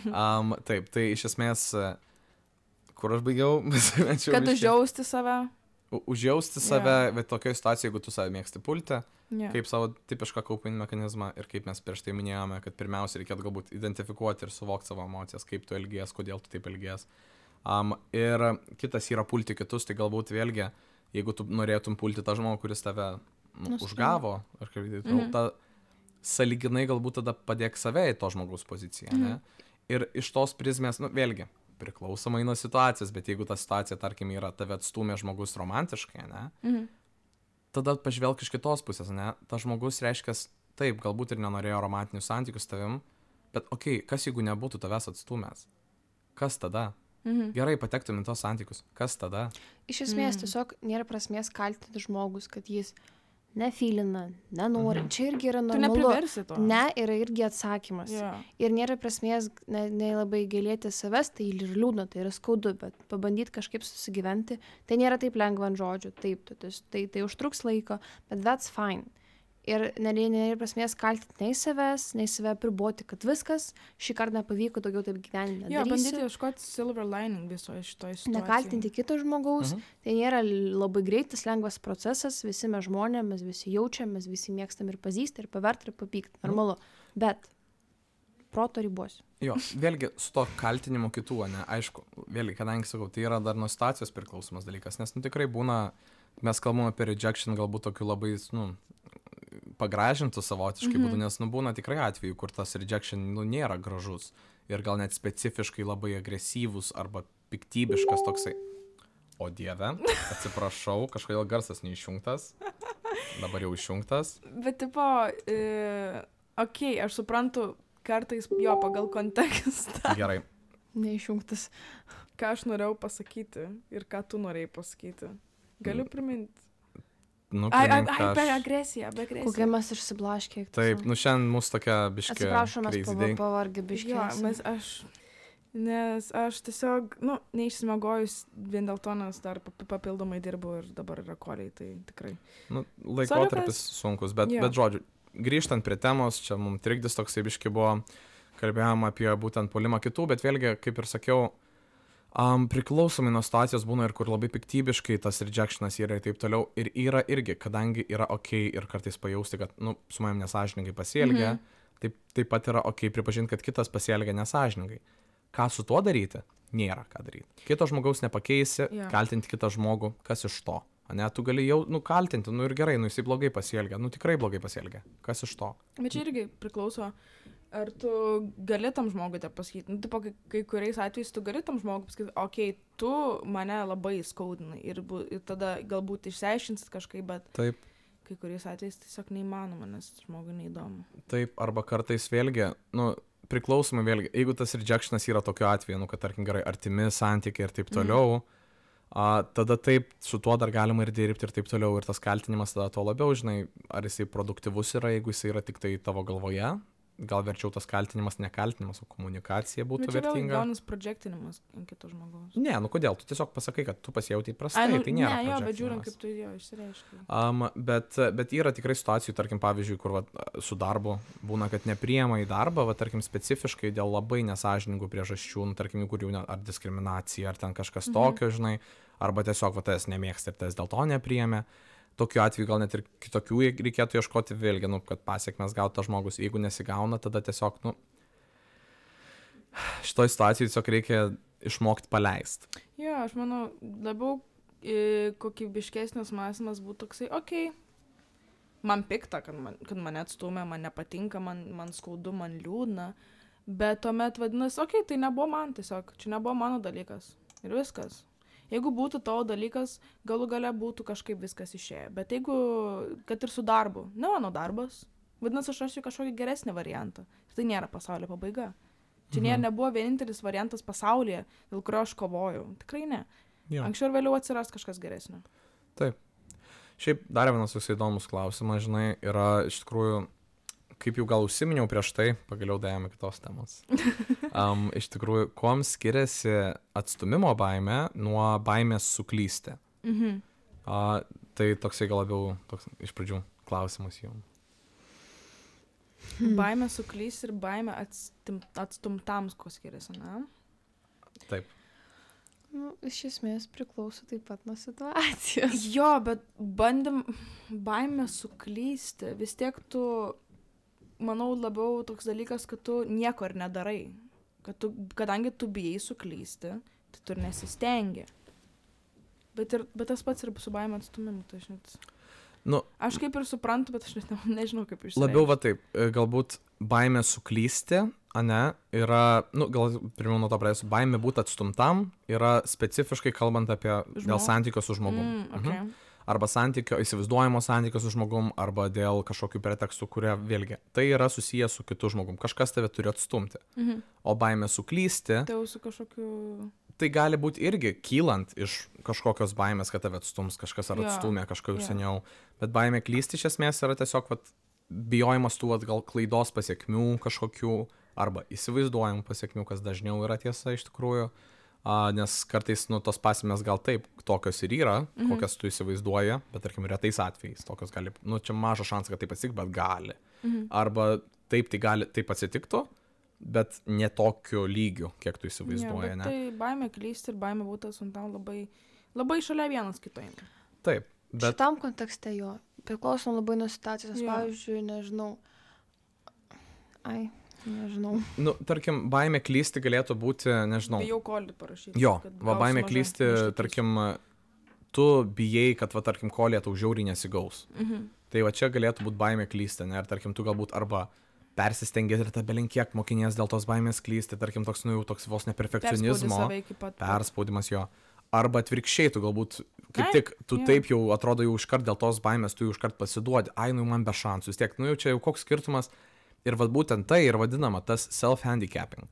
Taip, tai iš esmės, kur aš baigiau? Kad užjausti save. Užjausti save, bet tokioje situacijoje, jeigu tu save mėgsti pulti, kaip savo tipišką kaupinį mechanizmą ir kaip mes prieš tai minėjome, kad pirmiausia reikėtų galbūt identifikuoti ir suvokti savo emocijas, kaip tu elgies, kodėl tu taip elgies. Ir kitas yra pulti kitus, tai galbūt vėlgi, jeigu tu norėtum pulti tą žmogų, kuris tave užgavo, ar kaip tai, sąlyginai galbūt tada padėk save į to žmogaus poziciją. Ne? Ir iš tos prizmės, vėlgi, priklausomai nuo situacijos, bet jeigu ta situacija, tarkim, yra tave atstūmė žmogus romantiškai, ne? Tada pažvelk iš kitos pusės, ne? Ta žmogus reiškia, taip, galbūt ir nenorėjo romantinių santykių su tavim, bet kas jeigu nebūtų tavęs atstūmęs? Kas tada? Gerai, patektum į tos santykius. Kas tada? Iš esmės, tiesiog nėra prasmės kaltinti žmogus, kad jis nefylina, nenori. Čia irgi yra normalu. Tu nepriversi to. Ne, yra irgi atsakymas. Ir nėra prasmės labai gailėti savęs, tai ir liūdna, tai yra skaudu, bet pabandyti kažkaip susigyventi, tai nėra taip lengva ant žodžių. Taip, tai užtruks laiko, bet that's fine. Ir nėra prasmės kaltinti nei savęs, nei save priboti, kad viskas šį kartą nepavyko, daugiau taip gyvenime nedarysiu. Bandyti ieškoti silver lining visoje šitoje situacijoje. Nekaltinti kito žmogaus, tai nėra labai greitas, lengvas procesas, visi mes žmonės, mes visi jaučiam, mes visi mėgstam ir pazysti, ir paverti, ir papykti, normalu. Bet proto ribos. Jo, vėlgi su to kaltinimu kitų, ne, aišku, vėlgi, kadangi sakau, tai yra dar nuo situacijos priklausomas dalykas, nes tikrai būna, mes kalbame apie rejection galbūt tokiu labai, pagražintų savotiškai būtų, nes būna tikrai atveju, kur tas rejection nėra gražus ir gal net specifiškai labai agresyvus arba piktybiškas toksai. O dieve, atsiprašau, kažkodėl garsas neišjungtas, dabar jau išjungtas. Bet tipo, aš suprantu kartais jo pagal kontekstą. Gerai. Neišjungtas. ką aš norėjau pasakyti ir ką tu norėjai pasakyti. Galiu priminti. Nu, Ai, primink, be ką aš- agresiją, be agresiją. Kokie mes išsiblaškė. Taip, nu šiandien mūsų tokia biškė. Atsiprašau, mes crazy day. pavargę biškė. Jo, nes aš tiesiog, neišsimegojus vien dėl to, nes dar papildomai dirbu ir dabar yra koliai, tai tikrai. Nu, laikotarpis sunkus, bet žodžiu, grįžtant prie temos, čia mums trikdis toksai biški buvo, kalbėjom apie būtent puolimą kitų, bet vėlgi, kaip ir sakiau, priklausomai nuo situacijos būna ir kur labai piktybiškai tas rejectionas yra ir taip toliau. Ir yra irgi, kadangi yra ok ir kartais pajausti, kad, su manim nesąžiningai pasielgia, taip pat yra ok pripažinti, kad kitas pasielgia nesąžiningai. Ką su tuo daryti? Nėra ką daryti. Kito žmogaus nepakeisi, kaltinti kitą žmogų, kas iš to? Ne, tu gali jau, kaltinti, ir gerai, jisai blogai pasielgia, tikrai blogai pasielgia. Kas iš to? Bet čia irgi priklauso, ar tu gali tam žmogui tą pasakyti. Tipo, kai kuriais atvejais tu gali tam žmogui pasakyti, okei, tu mane labai skaudinai ir tada galbūt išsiaiškinsit kažkaip, bet taip. Kai kuriais atvejais tiesiog neįmanoma, nes žmogui neįdomu. Taip, arba kartais vėlgi, priklausomai vėlgi, jeigu tas rejectionas yra tokiu atveju, kad tarkim gerai, artimi santykiai ir taip toliau, tada taip, su tuo dar galima ir dirbti ir taip toliau, ir tas kaltinimas tada to labiau, žinai, ar jisai produktyvus yra, jeigu jisai yra tik tai tavo galvoje, gal verčiau tas kaltinimas, nekaltinimas, o komunikacija būtų vertinga. Bet čia vėl gaunas projektinimas ant kito žmogaus. Ne, kodėl, tu tiesiog pasakai, kad tu pasijautai prastai, tai nėra. Ne, bet žiūrint, kaip tu jo išsireiškai. Bet yra tikrai situacijų, tarkim, pavyzdžiui, kur su darbu būna, kad nepriema į darbą, tarkim, specifiškai dėl labai nesąžiningų priežasčių, tarkim, kur jau ar diskriminacija, ar ten kažkas tokio, žinai, arba tiesiog tas nemėgsta ir tas dėl to nepriėmė. Tokiu atveju gal net ir kitokių reikėtų ieškoti vėlgi, kad pasiekmes gauta žmogus. Jeigu nesigauna, tada tiesiog, šitoj situacijai tiesiog reikia išmokti paleisti. Jo, aš manau, labiau kokybiškesnis mąstymas būtų toksai, okei, man pikta, kad mane atstumė, man nepatinka, man skaudu, man liūdna, bet tuomet vadinasi, okei, tai nebuvo man tiesiog, čia nebuvo mano dalykas ir viskas. Jeigu būtų tavo dalykas, galų gale būtų kažkaip viskas išėję. Bet jeigu, kad ir su darbu, ne mano darbas, vadinasi, aš rasiu kažkokį geresnį variantą. Ir tai nėra pasaulio pabaiga. Čia nebuvo vienintelis variantas pasaulyje, dėl kurio aš kovojau. Tikrai ne. Jo. Anksčiau ir vėliau atsiras kažkas geresnio. Taip. Šiaip dar vienas toks įdomus klausimas, žinai, yra iš tikrųjų, kaip jau gal užsiminiau prieš tai, pagaliau dėjome kitos temos. Iš tikrųjų, kuom skiriasi atstumimo baimė nuo baimės suklysti? Tai toksai gal labiau iš pradžių klausimas jums. Baimė suklysti ir baimė atstumtams, kuo skiriasi, ne? Taip. Iš esmės priklauso taip pat nuo situacijos. Jo, bet baimė suklysti, vis tiek tu, manau, labiau toks dalykas, kad tu nieko ir nedarai. Kadangi tu bijai suklysti, tai tu ir nesistengi. Bet tas pats ir su baimė atstumimu, tai aš net... aš kaip ir suprantu, bet aš net nežinau, kaip išsireikšti. Labiau taip, galbūt baimė suklysti, yra, gal pirmiau nuo to pradėsiu, baimė būti atstumtam yra specifiškai kalbant apie dėl santykio su žmogum. Okay. Arba įsivaizduojamo santykio su žmogum, arba dėl kažkokių pretekstų, kurie vėlgi, tai yra susijęs su kitu žmogum. Kažkas tave turi atstumti. O baimė suklysti, tai gali būti irgi kylant iš kažkokios baimės, kad tave atstums, kažkas ar atstumė kažką jau seniau. Bet baimė klysti iš esmės yra tiesiog bijojimas tų gal klaidos pasiekmių kažkokių, arba įsivaizduojamų pasiekmių, kas dažniau yra tiesa iš tikrųjų. Nes kartais, tos pasekmės gal taip, tokios ir yra, kokias tu įsivaizduoji, bet tarkim, retais atvejais, tokios gali, čia mažas šansas, kad taip atsitiktų, bet gali. Arba taip, tai gali, taip atsitiktų, bet ne tokiu lygiu, kiek tu įsivaizduoji, ne? Tai baimė klysti ir baimė būti atstumtam labai, labai šalia vienas kitoje. Taip, bet... Šitam kontekste jo, priklausom labai nuo situacijos, pavyzdžiui, nežinau. Tarkim, baimė klysti galėtų būti, nežinau. Bijau kolį parašyti. Jo, baimė klysti, tarkim, tu bijai, kad, tarkim, kolė tau žiauriai nesigaus. Tai čia galėtų būti baimė klysti, ne? Ir, tarkim, tu galbūt arba persistengėt ir ta belinkiek mokinės dėl tos baimės klysti, tarkim, toks vos neperfekcionizmo. Perspaudimas jo. Arba atvirkščiai, tu galbūt, kaip tik, tu taip jau atrodo jau iškart dėl tos baimės, tu jau iškart pasiduodi, man be šansų, vis tiek, jau čia jau koks skirtumas. Ir būtent tai ir vadinama tas self-handicapping,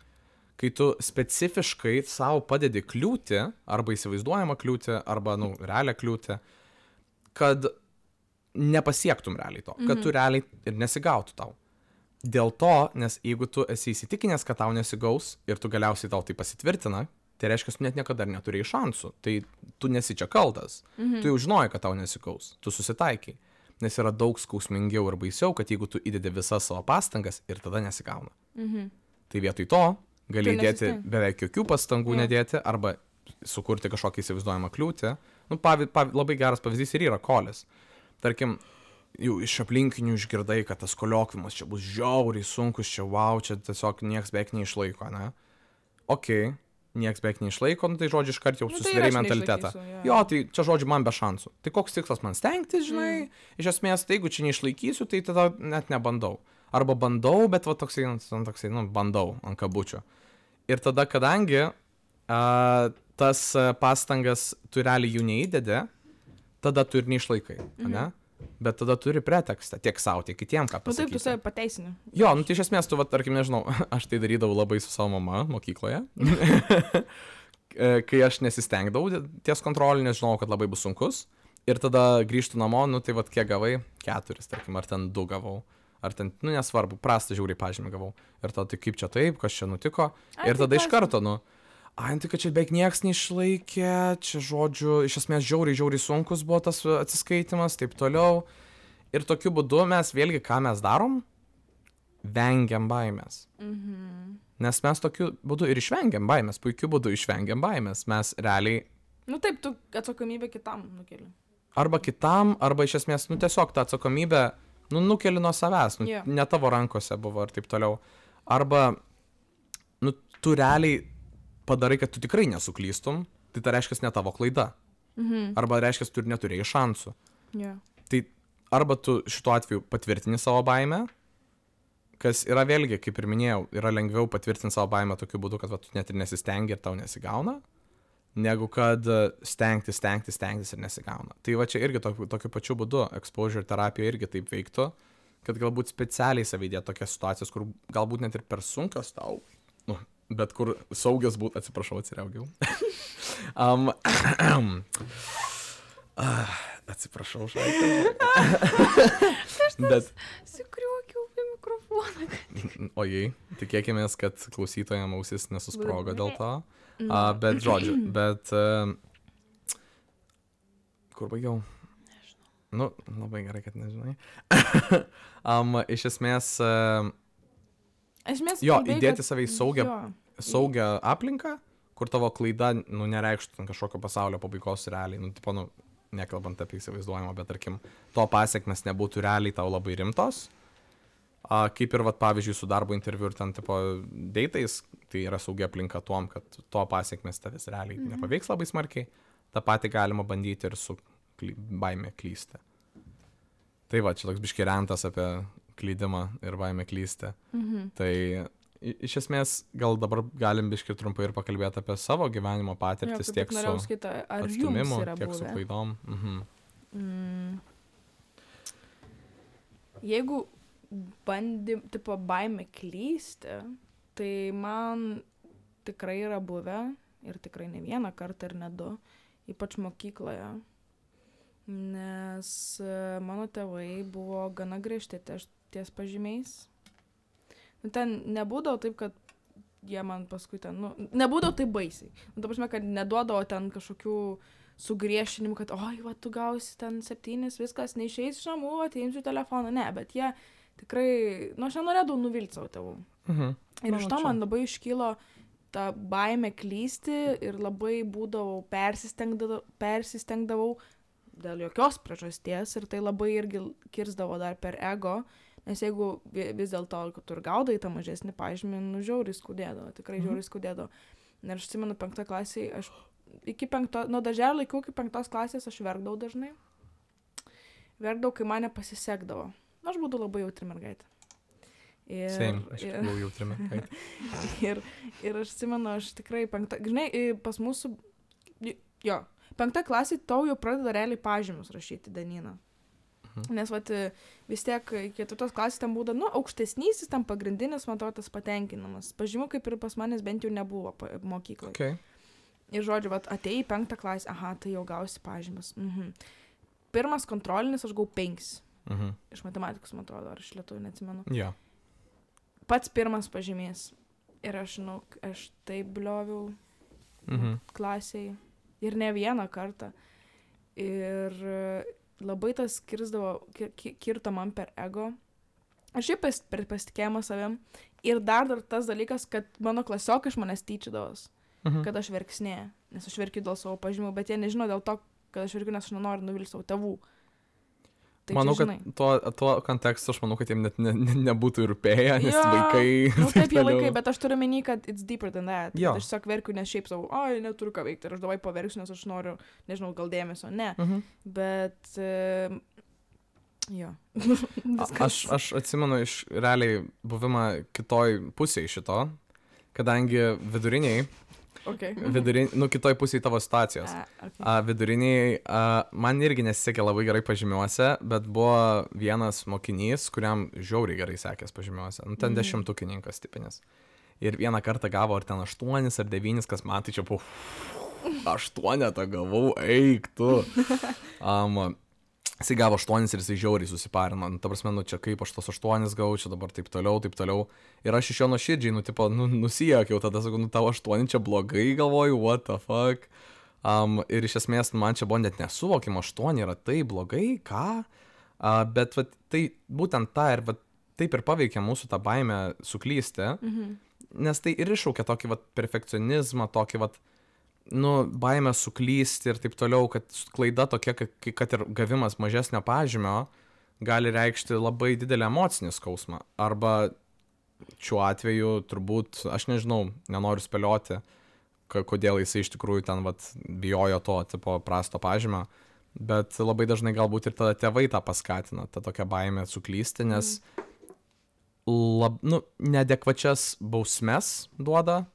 kai tu specifiškai savo padedi kliūtį, arba įsivaizduojamą kliūtį, arba, realią kliūtį, kad nepasiektum realiai to, kad tu realiai ir nesigautų tau. Dėl to, nes jeigu tu esi įsitikinęs, kad tau nesigaus ir tu galiausiai tau tai pasitvirtina, tai reiškia, tu net niekada neturėjai šansų, tai tu nesi čia kaltas, tu jau žinojai, kad tau nesigaus, tu susitaikai, nes yra daug skausmingiau ir baisiau, kad jeigu tu įdedi visas savo pastangas ir tada nesigauna. Tai vietoj to gali įdėti beveik jokių pastangų nedėti arba sukurti kažkokį įsivaizduojamą kliūtį. Labai geras pavyzdys ir yra kolis. Tarkim, jau iš aplinkinių išgirdai, kad tas koliokvimas čia bus žiauriai sunkus, čia čia tiesiog nieks beveik neišlaiko, ne? Okei, nieks beveik neišlaiko, tai žodžiu iškart jau susidarei mentalitetą. Jo, tai čia žodžiu man be šansų. Tai koks tikslas man stengtis, žinai? Iš esmės, tai jeigu čia neišlaikysiu, tai tada net nebandau. Arba bandau, bet va toksai, bandau ant kabučio. Ir tada, kadangi tas pastangas tu realiai jų neįdedi, tada tu ir neišlaikai, ne? Bet tada turi pretekstą tiek savo, tiek kitiem, ką pasakyti. Taip, tu save pateisini. Jo, tai iš esmės tu, tarkim, nežinau, aš tai darydavau labai su savo mama mokykloje, kai aš nesistengdavau ties kontrolį, nes žinau, kad labai bus sunkus. Ir tada grįžtu namo, tai kiek gavai? 4, tarkim, ar ten 2 gavau. Ar ten, nesvarbu, prastą žiauriai pažymį gavau. Ir tada tai kaip čia taip, kas čia nutiko. Ir tada iš karto, tai kad čia beveik nieks neišlaikė, čia žodžiu, iš esmės žiauriai sunkus buvo tas atsiskaitimas, taip toliau. Ir tokiu būdu mes vėlgi, ką mes darom, vengiam baimės. Nes mes tokiu būdu ir išvengiam baimės, puikiu būdu išvengiam baimės. Mes realiai... Taip, tu atsakomybę kitam nukeli. Arba kitam, arba iš esmės, tiesiog tą atsakomybę, nukeli nuo savęs, ne tavo rankose buvo ir taip toliau. Arba, tu realiai padarai, kad tu tikrai nesuklystum, tai reiškia ne tavo klaida. Arba reiškia, tu ir neturėjai šansų. Tai arba tu šituo atveju patvirtini savo baimę, kas yra vėlgi, kaip ir minėjau, yra lengviau patvirtinti savo baimę tokiu būdu, kad tu net ir nesistengi ir tau nesigauna, negu kad stengtis ir nesigauna. Tai va čia irgi tokiu pačiu būdu exposure terapija irgi taip veiktų, kad galbūt specialiai savydė tokias situacijas, kur galbūt net ir per sunkios tau, bet kur saugios būtų, atsiprašau, atsiriaugiau. Atsiprašau, bet... Sikriuokiau į mikrofoną. Ojei, tikėkimės, kad klausytojams ausis nesusprogo dėl to. Bet žodžiu, kur baigiau? Nežinau. Labai gerai, kad nežinai. Iš esmės... įdėti save į saugią aplinką, kur tavo klaida, nereikštų kažkokio pasaulio pabaigos realiai, nekalbant apie įsivaizduojimą, bet tarkim, to pasiekmes nebūtų realiai tau labai rimtos. Kaip ir, pavyzdžiui, su darbo interviu ir ten, deitais, tai yra saugia aplinka tuom, kad to pasiekmes tavęs realiai nepaveiks labai smarkiai. Ta pati galima bandyti ir su baime klysti. Tai va, čia toks biški rentas apie klydimą ir baimę klysti. Tai iš esmės gal dabar galim biški trumpai ir pakalbėti apie savo gyvenimo patirtis, tiek su atstumimu, tiek su klaidom. Jeigu baimė klysti, tai man tikrai yra buvę, ir tikrai ne vieną kartą ir ne 2, ypač mokykloje, nes mano tėvai buvo gana griežti ties pažymiais. Ten nebūdavo taip, kad jie man paskui ten, nebūdavo taip baisiai. Ta prasme, kad neduodavo ten kažkokių sugriešinimų, kad tu gausi ten 7, viskas, neišeis iš namų, ateimsiu telefoną. Ne, bet jie tikrai, aš nenorėdavau nuvilti savo tėvų. Ir iš to man labai iškilo ta baimė klysti ir labai būdavau persistengdavau dėl jokios priežasties ir tai labai irgi kirsdavo dar per ego, nes jeigu vis dėlto, kad tu ir gaudai tą mažesnį pažymį, žiauriai skaudėdavo, tikrai žiauriai skaudėdavo. Ir aš atsimenu 5 klasėje, aš nuo darželio laikų iki 5 klasės aš verkdavau dažnai. Verkdavau, kai mane pasisekdavo. Aš būdavau labai jautri mergaitė. Aš buvau jautri mergaitė. Ir aš atsimenu, aš tikrai pas mūsų, 5 klasėje tau jau pradeda realiai pažymius rašyti, Danina. Nes vat, vis tiek 4 klasės ten būda, aukštesnysis, tam pagrindinis, man atrodo, tas patenkinamas. Pažymų kaip ir pas manęs bent jau nebuvo mokykloje. Okay. Ir žodžiu, vat, atėjai į 5 klasę, tai jau gausi pažymas. Pirmas kontrolinis aš gavau 5. Iš matematikos, man atrodo, ar iš lietuvių, neatsimenu. Yeah. Pats pirmas pažymys. Ir aš taip blioviau klasėje. Ir ne vieną kartą. Ir labai tas kirto man per ego. Aš šiaip per pasitikėjimą savim. Ir dar tas dalykas, kad mano klasiokai iš manęs tyčiodavos. Kad aš verksnėju. Nes aš verkiu dėl savo pažymų, bet jie nežino dėl to, kad aš verkiu, nes aš nenoriu nuvilti savo tėvų. Tai manau, kad tuo kontekstu aš manau, kad jiem net nebūtų rūpėję, nes vaikai... Taip, jie vaikai, bet aš turiu menį, kad it's deeper than that. Aš tiesiog verkiu, nes šiaip savo, neturiu ką veikti. Ir aš davai paverksiu, nes aš noriu, nežinau, gal dėmesio. Ne. Bet... jo. Aš atsimenu iš realiai buvimą kitoj pusėje šito, kadangi viduriniai, kitoj pusėje tavo situacijos. Viduriniai, man irgi nesisekė labai gerai pažymiuose, bet buvo vienas mokinys, kuriam žiauriai gerai sekės pažymiuose. Ten 10-tukininkas tipinis. Ir vieną kartą gavo ar ten 8 ar 9, kas man tai čia buvo 8 gavau, eik tu. Jisai gavo 8 ir jisai žiauriai susiparino. Ta prasme, čia kaip aš tos 8 gavau, čia dabar taip toliau. Ir aš iš jo nuoširdžiai, nusijuokiau, tada sakau, tau 8 čia blogai, galvoju, what the fuck. Ir iš esmės, man čia buvo net nesuvokima, 8 yra tai blogai, ką? Bet tai būtent ta ir taip ir paveikia mūsų tą baimę suklysti, nes tai ir iššaukia tokį perfekcionizmą, tokį baimę suklysti ir taip toliau, kad klaida tokia, kad ir gavimas mažesnio pažymio gali reikšti labai didelį emocinį skausmą. Arba šiuo atveju turbūt, aš nežinau, nenoriu spėlioti, kodėl jisai iš tikrųjų ten bijojo to tipo prasto pažymio, bet labai dažnai galbūt ir tada tėvai tą paskatina, tą tokią baimę suklysti, nes neadekvačias bausmes duoda.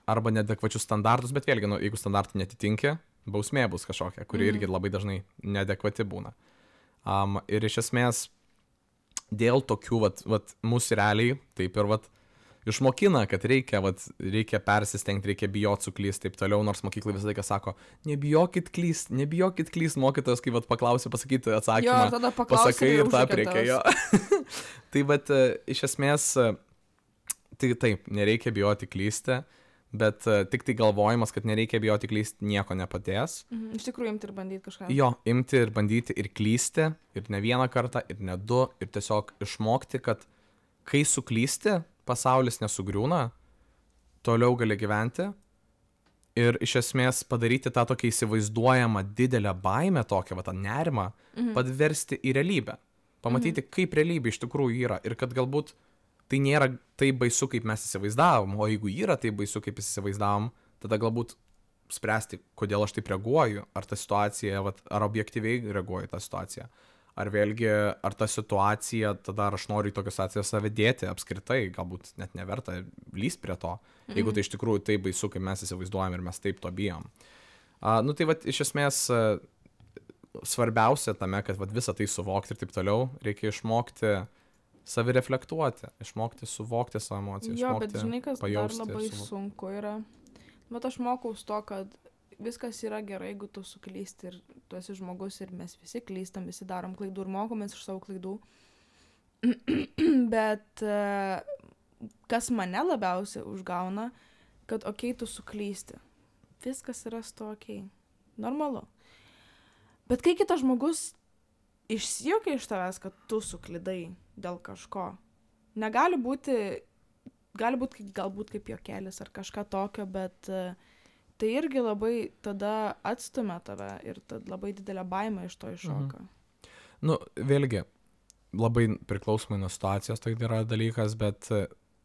Arba neadekvačius standartus, bet vėlgi, jeigu standartų netitinki, bausmė bus kažkokia, kuri irgi labai dažnai neadekvati būna. Ir iš esmės, dėl tokių, mūsų realiai, taip ir išmokina, kad reikia persistengti, reikia bijoti suklysti, taip toliau, nors mokyklai visą laiką sako, nebijokit klyst, mokytojas, kai paklausia pasakyti atsakymą, pasakai ir tą reikia jo. Tai iš esmės, tai taip, nereikia bijoti klysti, bet tik tai galvojimas, kad nereikia bijoti klysti, nieko nepadės. Iš tikrųjų, imti ir bandyti kažką. Jo, imti ir bandyti ir klysti, ir ne vieną kartą, ir ne 2, ir tiesiog išmokti, kad kai suklysti, pasaulis nesugriūna, toliau gali gyventi ir iš esmės padaryti tą tokią įsivaizduojamą didelę baimę, tokią tą nerimą, padversti į realybę. Pamatyti, kaip realybė iš tikrųjų yra ir kad galbūt tai nėra taip baisu, kaip mes įsivaizdavom, o jeigu yra taip baisu, kaip įsivaizdavom, tada galbūt spręsti, kodėl aš taip reaguoju, ar ta situacija, ar objektyviai reaguoju tą situaciją, ar vėlgi, ar ta situacija, tada ar aš noriu į tokią situaciją save dėti apskritai, galbūt net neverta lįst prie to, jeigu tai iš tikrųjų taip baisu, kaip mes įsivaizduojam ir mes taip to bijom. Tai iš esmės svarbiausia tame, kad visą tai suvokti ir taip toliau, reikia išmokti savireflektuoti, išmokti suvokti savo emocijas, išmokti bet žinai, kas pajausti. Dar labai sunku yra. Bet aš mokaus to, kad viskas yra gerai, jeigu tu suklysti ir tu esi žmogus ir mes visi klystam, visi darom klaidų ir mokomės iš savo klaidų. Bet kas mane labiausiai užgauna, kad tu suklysti. Viskas yra su to normalu. Bet kai kitas žmogus išsijuokia iš tavęs, kad tu suklydai dėl kažko. Negali būti, galbūt kaip juokelis ar kažką tokio, bet tai irgi labai tada atstumia tave ir labai didelė baimė iš to iššoka. Vėlgi, labai priklausomai nuo situacijos tai yra dalykas, bet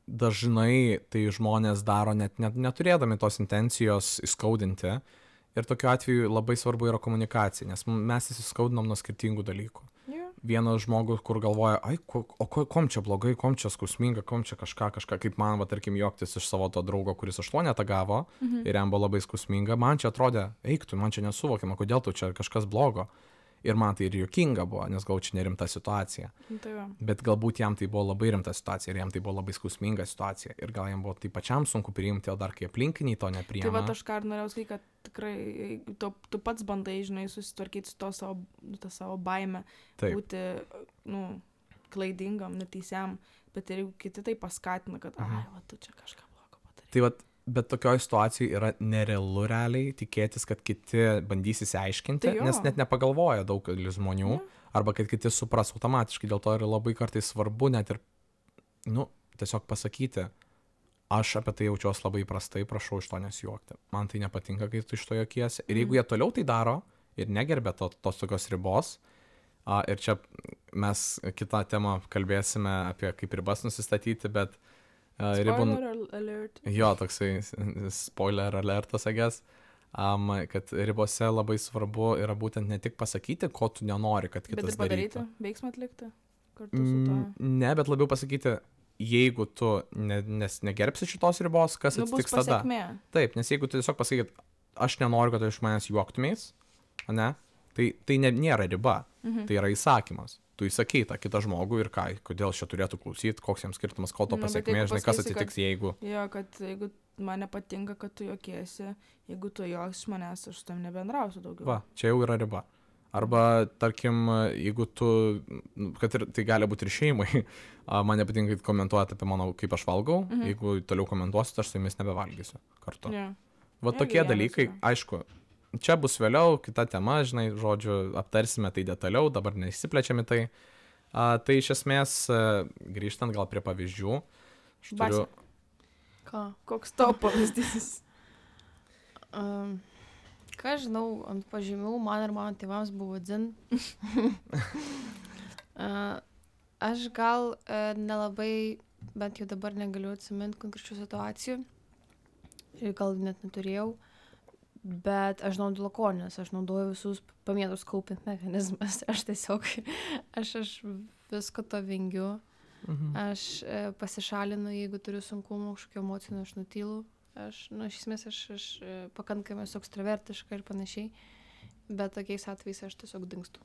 dažnai tai žmonės daro net neturėdami tos intencijos įskaudinti. Ir tokiu atveju labai svarbu yra komunikacija, nes mes įsiskaudinom nuo skirtingų dalykų. Vienas žmogus, kur galvoja, kom čia blogai, kom čia skausminga, kom čia kažką, kaip man, tarkim, juoktis iš savo to draugo, kuris 8 gavo ir jam buvo labai skausminga, man čia atrodė, eik tu, man čia nesuvokiama, kodėl tu čia kažkas blogo. Ir man tai ir juokinga buvo, nes gal čia nerimta situacija. Tai va. Bet galbūt jam tai buvo labai rimta situacija ir jam tai buvo labai skausminga situacija. Ir gal jam buvo tai pačiam sunku priimti, o dar kai aplinkiniai to nepriima. Tai va, aš ką ir norėjau sakyti, kad tikrai tu pats bandai, žinai, susitvarkyti su to savo baime, Taip. būti, klaidingam, neteisiam, bet ir jeigu kiti tai paskatina, kad, va, tu čia kažką blogo padarai. Tai va, bet tokioje situacijoje yra nerealu realiai tikėtis, kad kiti bandys įsiaiškinti, Tai jo. nes net nepagalvoja daugelis žmonių, arba kad kiti supras automatiškai. Dėl to yra labai kartais svarbu net ir, tiesiog pasakyti, aš apie tai jaučiuosi labai prastai, prašau iš to nesijuokti. Man tai nepatinka, kai tu iš to juokiesi. Ir jeigu jie toliau tai daro ir negerbė tos tokios ribos, ir čia mes kitą temą kalbėsime apie kaip ribas nusistatyti, bet Spoiler alert. Jo, toksai spoiler alertas, agės, kad ribose labai svarbu yra būtent ne tik pasakyti, ko tu nenori, kad kitas Bet ir padaryti, darytų. veiksmą atlikti kartu su to. Ne, bet labiau pasakyti, jeigu tu negerbsi šitos ribos, kas Bus atsitiks tada. pasekmė. Taip, nes jeigu tu tiesiog pasakyt, aš nenoriu, kad iš manęs juoktumės, ne, tai nėra riba, tai yra įsakymas. Tu įsakei tą kitą žmogų ir ką, kodėl šia turėtų klausyti, koks jiems skirtumas, ko to Bet pasiekmė, jeigu žinai, kas pasakysi, atsitiks, jeigu... Jo, kad jeigu man nepatinka, kad tu juokiesi, jeigu tu juoks iš manęs, aš su tam nebendrausiu daugiau. Va, čia jau yra riba. Arba, tarkim, jeigu tu, kad ir tai gali būti ir šeimai, man nepatinka, kad komentuojate apie mano, kaip aš valgau, jeigu toliau komentuosit, aš su jumis nebevalgysiu kartu. Jo. Va Irgi tokie vienas dalykai, yra. aišku, čia bus vėliau, kita tema, žinai, žodžiu, aptarsime tai detaliau, dabar neįsiplečiame tai. Tai iš esmės, grįžtant gal prie pavyzdžių, aš turiu... Basia. Ką? Koks tavo pavyzdys? Ką žinau, ant pažymių man ir mano tėvams buvo dzin. Aš gal nelabai, bent jau dabar negaliu atsiminti konkrečių situacijų. Ir gal net neturėjau. Bet aš naudoju lakonės, aš naudoju visus pamėtus kaupint mechanizmas. Aš tiesiog, aš visko to vengiu. Aš pasišalinu, jeigu turiu sunkumų, kažkokio emocinio, aš nutylu. Iš esmės, aš pakankamai esu ekstravertiška ir panašiai. Bet tokiais atvejais aš tiesiog dingstu.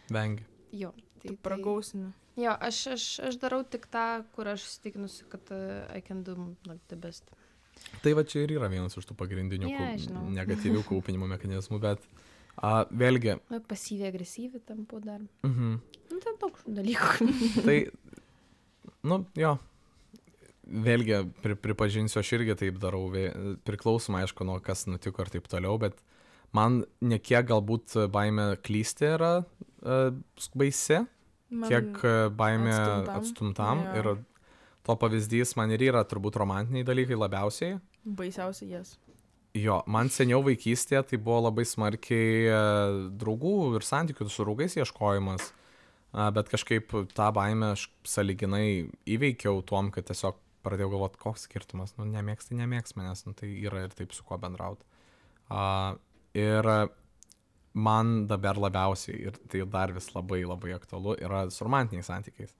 Vengi. Jo. Tai pragausini. Jo, aš darau tik tą, kur aš įsitikinusi, kad I can do the best. Tai va čia ir yra vienas iš tų pagrindinių Žinau. negatyvių kaupinimo mechanizmų, bet vėlgi... Pasyviai agresyvi tampu dar. Tai, Tai daug dalykų. jo, vėlgi pripažinsiu, aš irgi taip darau, priklausomai, aišku, nuo kas nutiko ir taip toliau, bet man nekiek galbūt baimė klysti yra baisi, kiek baimė atstumtam. Ir to pavyzdys man ir yra turbūt romantiniai dalykai labiausiai. Baisiausiai jas. Jo, man seniau vaikystėje tai buvo labai smarkiai draugų ir santykių su draugais ieškojimas, bet kažkaip tą baimę aš sąlyginai įveikiau tuom, kad tiesiog pradėjau galvoti, koks skirtumas, nemėgs manęs, tai yra ir taip su kuo bendrauti. Ir man dabar labiausiai, ir tai dar vis labai labai aktualu, yra su romantiniais santykiais.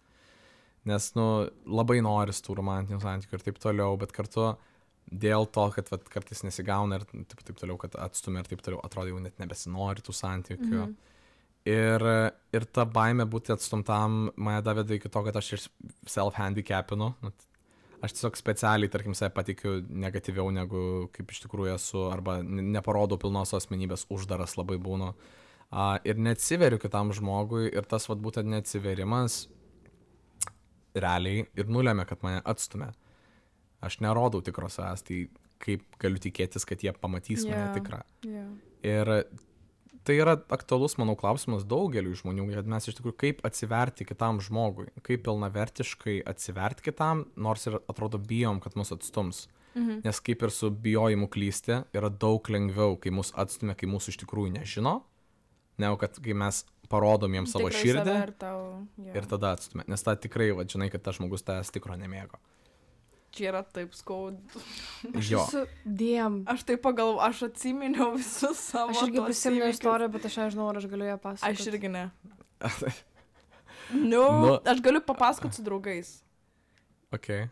Nes, labai noris tų romantinių santykių ir taip toliau, bet kartu dėl to, kad kartais nesigauna ir taip toliau, kad atstumia ir taip toliau, atrodo jau net nebesinori tų santykių. Ir ta baimė būti atstumtam mane daveda iki to, kad aš ir self-handicapinu. Aš tiesiog specialiai, tarkim, save patikiu negatyviau negu kaip iš tikrųjų esu, arba neparodau pilnos asmenybės, uždaras labai būnu. Ir neatsiveriu kitam žmogui ir tas būtent neatsiverimas realiai ir nulėmė, kad mane atstumė. Aš nerodau tikros savęs, tai kaip galiu tikėtis, kad jie pamatys mane tikrą. Ir tai yra aktualus, manau, klausimas daugeliu žmonių, kad mes iš tikrųjų kaip atsiverti kitam žmogui, kaip pilnavertiškai atsiverti kitam, nors ir atrodo bijom, kad mus atstums. Nes kaip ir su bijojimu klysti, yra daug lengviau, kai mus atstumia, kai mūsų iš tikrųjų nežino, negu kad kai mes parodom jiems savo širdį ir tada atstumia. Nes ta tikrai, žinai, kad tas žmogus tavęs tikro nemėgo. Čia yra taip skaudu. Jo. Aš taip pagalvoju, aš atsiminiau visus savo. Aš irgi prisiminiau istoriją, bet aš nežinau, ar aš galiu ją pasakoti. Aš irgi ne. Aš galiu papasakoti su draugais. Okay.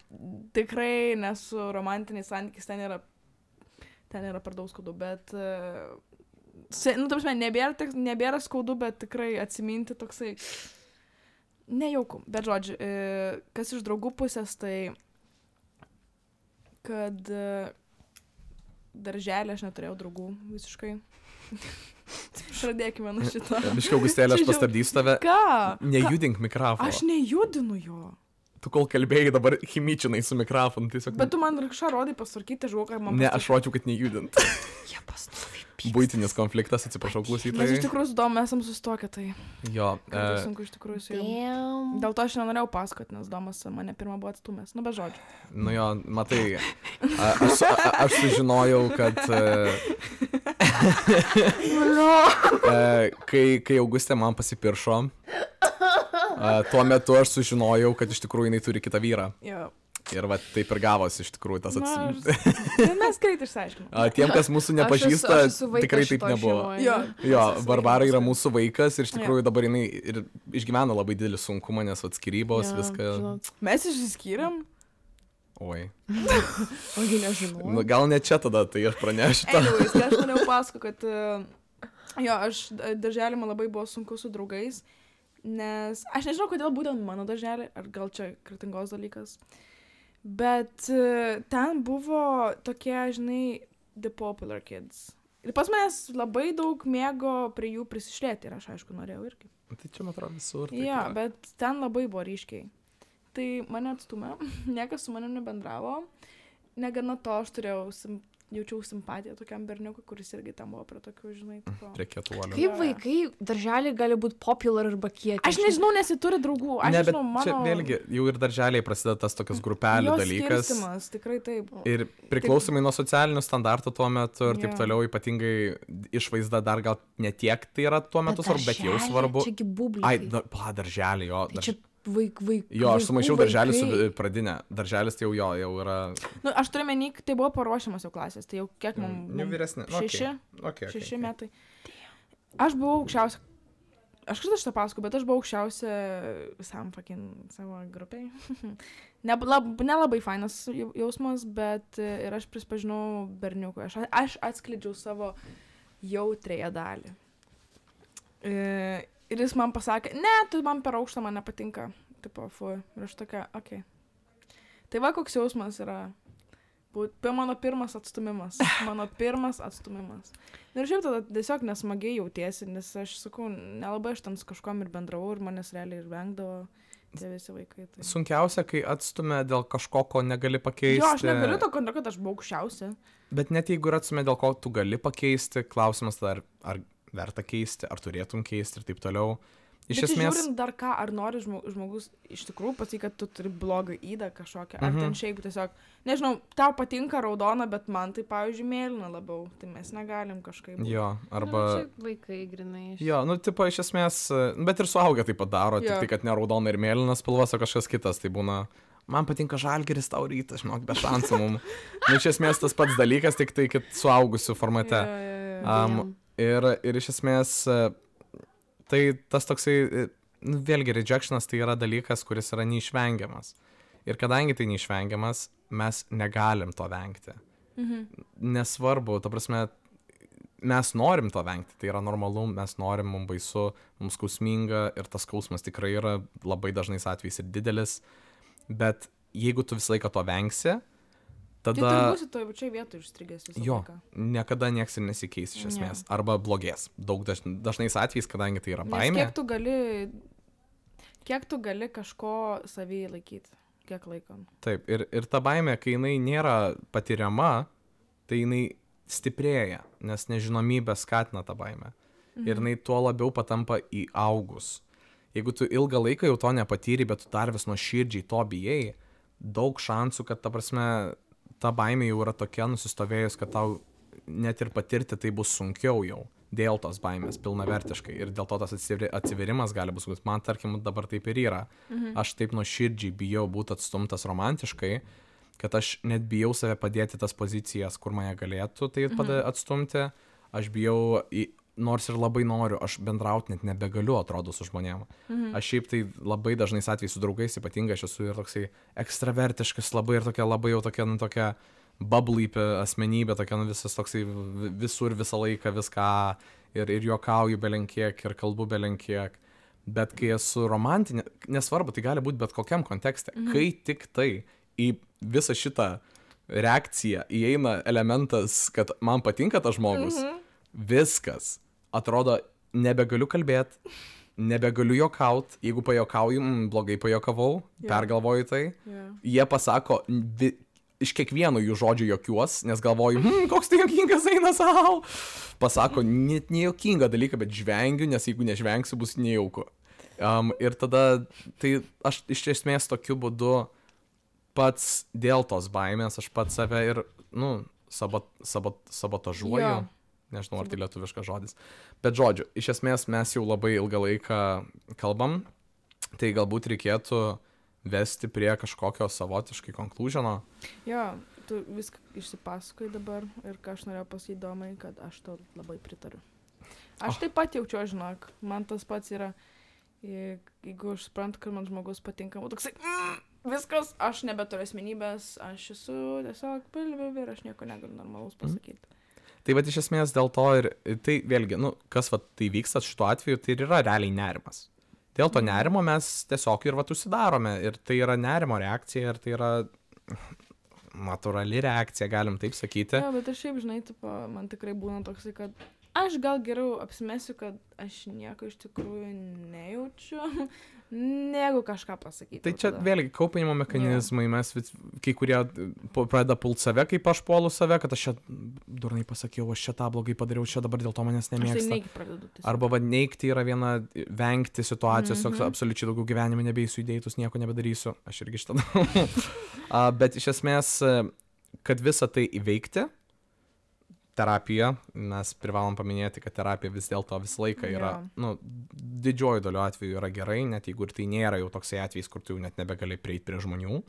Tikrai nesu romantiniais santykiais, ten yra per daug skaudu, bet Nu, ta prasme, nebėra skaudu, bet tikrai atsiminti toksai nejauku. Bet žodžiu, kas iš draugų pusės, tai kad darželį aš neturėjau draugų visiškai. Pradėkime nuo šito. Biškai, Augustėlė, aš pastabdysiu tave. Ką? Nejudink mikrofoną. Aš nejudinu jo. Tu kol kalbėjai, dabar chimičinai su mikrofonu. Tiesiog... Bet tu man kažką rodai pasvarkyti, žuoką ir man... Ne, aš rodžiau, kad nejudint. Jie pastoviai. Būtinis konfliktas, atsiprašau Mes klausytojai. iš tikrųjų su Domu esam sustokę, tai Jo. sunku iš tikrųjų su juo. Dėl to aš nenorėjau pasakoti, nes Domas mane pirmą buvo atstumęs. Nu, be žodžių. Nu jo, matai, aš sužinojau, kad kai Augustė man pasipiršo, tuo metu aš sužinojau, kad iš tikrųjų jinai turi kitą vyrą. Jo. Ir va taip ir gavosi iš tikrųjų tas Mes greit išsiaiškinom. Tiem, kas mūsų nepažįsta, tikrai taip nebuvo. Jo, Barbara yra mūsų vaikas ir iš tikrųjų dabar jinai ir išgyvena labai didelį sunkumą, nes atskirybos, viską. Mes išsiskyrėm. Oi. Ogi nežinau. Nu, gal ne čia tada, tai aš pranešiu. Anyways, aš norėjau pasakoti, kad aš darželį man labai buvo sunku su draugais, nes aš nežinau, kodėl būtent mano darželį, ar gal čia kretingos dalykas. Bet ten buvo tokie, žinai, the popular kids. Ir pas manęs labai daug mėgo prie jų prisišlėti ir aš, aišku, norėjau irgi. Tai čia, man atrodo, visur. Jo, bet ten labai buvo ryškiai. Tai mane atstumė, niekas su manimi nebendravo. Negana to, aš jaučiau simpatiją tokiam berniukui, kuris irgi tam buvo prie tokių, žinai, tipo. Prie kietuolio. Kaip vaikai darželiai gali būti popular arba kieti? Aš nežinau, nes jie turi draugų. Aš Ne, bet nežinau, mano... čia vėlgi, jau ir darželiai prasideda tas tokias grupelių dalykas. Skirstimas, tikrai taip. Ir priklausomai nuo socialinių standartų tuo metu ir taip toliau, ypatingai išvaizda dar gal ne tiek tai yra tuo metu svarbu, bet jau svarbu. Čiagi bublikai. Darželį, jo. Tai čia vaikai. Jo, aš sumaišiau darželį su pradinė. Darželis tai jau yra... Nu, aš turiu menį, tai buvo paruošiamas jau klasės, tai jau kiek mums... Jau vyresnė. 6 metai. Aš buvau aukščiausia... Aš kažkaip šitą pasakau, bet aš buvau aukščiausia visam savo grupiai. Nelabai fainas jausmas, bet ir aš prisipažinau berniukui. Aš atskleidžiau savo jautrėją dalį. Ir jis man pasakė, ne, tu man per aukštą, man nepatinka. Tipo, ir aš tokia, okei. Tai va, koks jausmas yra. Mano pirmas atstumimas. Ir šiaip tada tiesiog nesmagiai jautiesi, nes aš sakau, nelabai aš ten su kažkom ir bendravau ir manęs realiai ir vengdavo tie visi vaikai. Tai... Sunkiausia, kai atstumė dėl kažko, ko negali pakeisti. Jo, aš negaliu to, kad aš buvau aukščiausia. Bet net jeigu atstumė dėl ko tu gali pakeisti, klausimas tada, ar verta keisti, ar turėtum keisti ir taip toliau. Iš esmės... žiūrint dar ką, ar nori žmogus iš tikrųjų pasakyti, kad tu turi blogą įdą kažkokią, ar ten šiaip tiesiog, nežinau, tau patinka raudona, bet man tai, pavyzdžiui, mėlyna labiau, tai mes negalim kažkaip. Jo, arba... Vaikai grinai. Jo, nu, tipo, iš esmės, bet ir suaugę taip pat daro, tik tai, kad ne raudona ir mėlyna spalvos, o kažkas kitas, tai būna... Man patinka Žalgiris, tau rytas, žinok, be šansų mum. Nu, iš esmės tas pats dalykas, tik tai, kad suaugusių formate. Ir iš esmės, tai tas toksai, nu, vėlgi, rejectionas tai yra dalykas, kuris yra neišvengiamas. Ir kadangi tai neišvengiamas, mes negalim to vengti. Nesvarbu, ta prasme, mes norim to vengti, tai yra normalu, mes norim, mums baisu, mums skausminga ir tas skausmas tikrai yra labai dažnais atvejais ir didelis, bet jeigu tu visą laiką to vengsi, tada... Tai tu būsi toje pačioje vietoje išstrigęs visą laiką. Niekada nieks ir nesikeis iš esmės. Arba blogės. Daug dažnais atvejais, kadangi tai yra baimė. Kiek tu gali kažko savyje laikyti? Kiek laiko? Taip, ir ta baimė, kai jinai nėra patiriama, tai jinai stiprėja, nes nežinomybė skatina tą baimę. Ir jinai tuo labiau patampa įaugus. Jeigu tu ilgą laiką jau to nepatyri, bet tu dar vis nuoširdžiai to bijai, daug šansų, kad ta prasme... ta baimė jau yra tokia nusistovėjus, kad tau net ir patirti tai bus sunkiau jau dėl tos baimės pilnavertiškai. Ir dėl to tas atsiverimas gali bus, man tarkim dabar taip ir yra. Aš taip nuoširdžiai bijau būti atstumtas romantiškai, kad aš net bijau save padėti tas pozicijas, kur mane galėtų tai atstumti. Aš bijau, nors ir labai noriu, aš bendrauti net nebegaliu, atrodo, su žmonėm. Aš šiaip tai labai dažnais atvejais su draugais, ypatingai aš esu ir toksai ekstravertiškas, labai ir tokia, labai jau tokia, nu, tokia bubbly asmenybė, tokia, nu, visas toksai visur, visą laiką, viską ir juokauju belenkiek, ir kalbu belenkiek. Bet kai esu romantinė, nesvarbu, tai gali būti bet kokiam kontekste. Kai tik tai į visą šitą reakciją įeina elementas, kad man patinka tas žmogus, viskas. Atrodo, nebegaliu kalbėti, nebegaliu juokaut, jeigu pajokauju, blogai pajokavau, pergalvoju tai. Jie pasako, iš kiekvieno jų žodžių jokiuos, nes galvoju, koks tai jokingas eina savo. Pasako net nejokingą dalyką, bet žvengiu, nes jeigu nežvengsiu, bus nejauku. Ir tada, tai aš iš esmės tokiu būdu pats dėl tos baimės, aš pats save ir, sabotažuoju. Jo. Nežinau, ar tai lietuviškas žodis. Bet žodžiu, iš esmės mes jau labai ilgą laiką kalbam, tai galbūt reikėtų vesti prie kažkokio savotiškai konklužino. Jo, tu viską išsipasakoji dabar ir ką aš norėjau pasakyti įdomai, kad aš tau labai pritariu. Aš taip pat jaučiu, žinok, man tas pats yra, jeigu aš suprantu, kad man žmogus patinka, toksai, viskas, aš nebeturiu asmenybės, aš esu tiesiog pilvi ir aš nieko negaliu normalaus pasakyti. Tai va iš esmės dėl to ir tai vėlgi, kas va tai vyksta šituo atveju, tai ir yra realiai nerimas. Dėl to nerimo mes tiesiog ir va užsidarome ir tai yra nerimo reakcija ir tai yra natūrali reakcija, galim taip sakyti. Jo, bet aš šiaip, žinai, man tikrai būna toksai, kad aš gal geriau apsimesiu, kad aš nieko iš tikrųjų nejaučiu, negu kažką pasakyti. Tai čia vėlgi kaupinimo mechanizmai, mes kai kurie pradeda pult save, kaip aš puolu save, kad aš čia durnai pasakiau, aš čia tą blogai padariau, čia dabar dėl to manęs nemėgsta. Aš tai neigi pradedu. Arba neigti yra viena, vengti situacijos, absoliučiai daugiau gyvenime nebeisiu įdėtus, nieko nebedarysiu, aš irgi šitą. Bet iš esmės, kad visą tai įveikti, terapija, mes privalom paminėti, kad terapija vis dėlto visą laiką yra, didžioji dalis atveju yra gerai, net jeigu ir tai nėra jau toksai atvejis, kur tu jau net nebegali prieiti prie žmonių,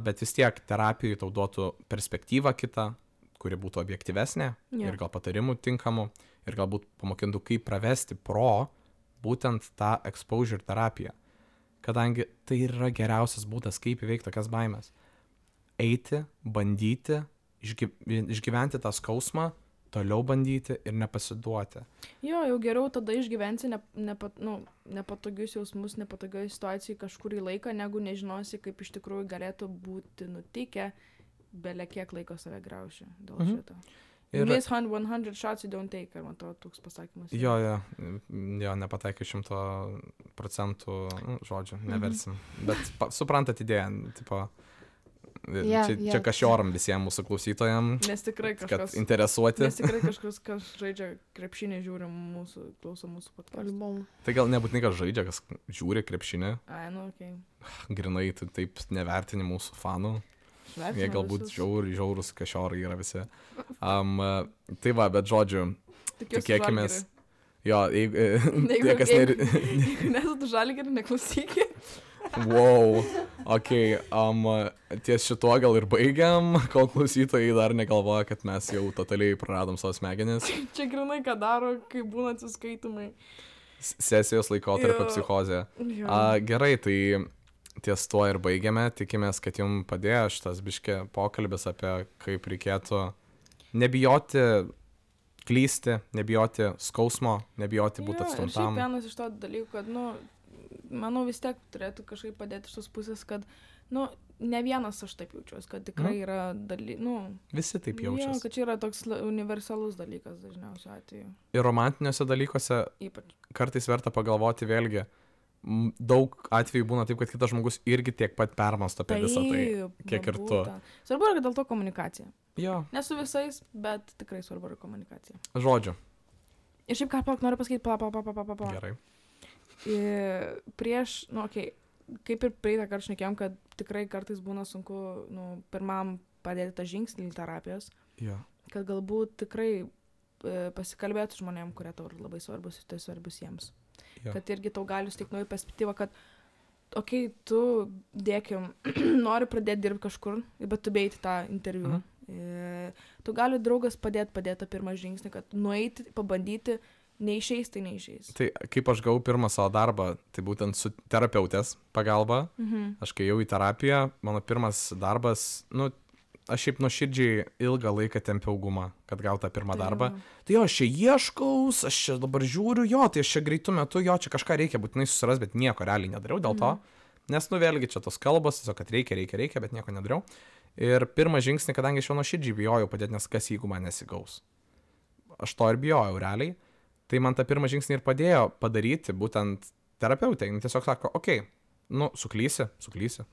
bet vis tiek terapijai tau duotų perspektyvą kitą, kuri būtų objektyvesnė ir gal patarimų tinkamų ir galbūt pamokintų, kaip pravesti būtent tą exposure terapiją, kadangi tai yra geriausias būdas, kaip įveikti tokias baimės. Eiti, bandyti, išgyventi tą skausmą, toliau bandyti ir nepasiduoti. Jo, jau geriau tada išgyvensi nepatogius jausmus, nepatogioj situacijai kažkurį laiką, negu nežinosi, kaip iš tikrųjų galėtų būti nutikę, bele kiek laiko save grauši dėl šito. You miss 100 shots, you don't take, ar man to toks pasakymas. Jo, nepataikai 100% žodžių, neversim. Bet suprantat idėją, tipo... Čia kažioram visiems mūsų klausytojams, nes tikrai kažkas, kad interesuoti. Nes tikrai kažkas, kas žaidžia krepšinį, žiūri klauso mūsų podcast'ą. Tai gal nebūtinai, kas žaidžia, kas žiūri krepšinį. Okay. Grinai, taip nevertini mūsų fanų. Jie galbūt žiaurus kažiorai yra visi. Tai va, bet žodžiu, tikėkimės. Jo, jeigu nesat Žalgirį, neklausykit. Wow, ties šituo gal ir baigiam, kol klausytojai dar negalvoja, kad mes jau totaliai praradom savo smegenis. Čia grinai, ką daro, kai būna atsiskaitimai. Sesijos laikotarpio psichozė. Gerai, tai ties tuo ir baigiame, tikimės, kad jums padėjo šitas biškė pokalbis apie kaip reikėtų nebijoti klysti, nebijoti skausmo, nebijoti būti atstumtam. Ir šiaip vienas iš to dalykų, kad, manau vis tiek turėtų kažkaip padėti iš tos pusės, kad, ne vienas aš taip jaučiuosi, kad tikrai yra visi taip jaučiasi. Jo, kad čia yra toks universalus dalykas dažniausiu atveju. Ir romantiniuose dalykuose ypač kartais verta pagalvoti vėlgi, daug atvejų būna taip, kad kitas žmogus irgi tiek pat permąsto apie visą tai, kiek ir tu. Svarbu yra dėl to komunikacija. Jo. Ne su visais, bet tikrai svarbu yra komunikacija. Žodžiu. Ir šiaip ką noriu pasakyti, Gerai. Prieš, kaip ir praeitą kartą šnekėjom, kad tikrai kartais būna sunku, pirmam padėti tą žingsnį terapijos, kad galbūt tikrai pasikalbėti žmonėm, kurie tau labai svarbus ir tai svarbus jiems. Kad irgi tau gali suteikti naują perspektyvą, kad tu dėkim, nori pradėti dirbti kažkur, bet tu beiti tą interviu. Tu gali draugas padėti tą pirmą žingsnį, kad nueiti, pabandyti, neišeis, tai neišeis. Tai kaip aš gavau pirmą savo darbą, tai būtent su terapeutės pagalba. Aš kai jau į terapiją, mano pirmas darbas, aš šiaip nuoširdžiai ilgą laiką tempiau gumą, kad gautų tą pirmą darbą. Tai jo, aš čia ieškaus, aš čia dabar žiūriu, jo, tai aš čia greitų metu, jo, čia kažką reikia būtinai susiras, bet nieko realiai nedariau dėl to. Nes, nu, vėlgi čia tos kalbos, tiesiog, kad reikia, bet nieko nedariau. Ir pirmą žingsnį, kadangi aš jau nuoširdžiai bijojau padėti, nes kas jeigu man nesigaus. Aš to ir bijojau realiai. Tai man tą pirmą žingsnį ir padėjo padaryti būtent terapeutė. Jis tiesiog sako, okei, nu, suklysi,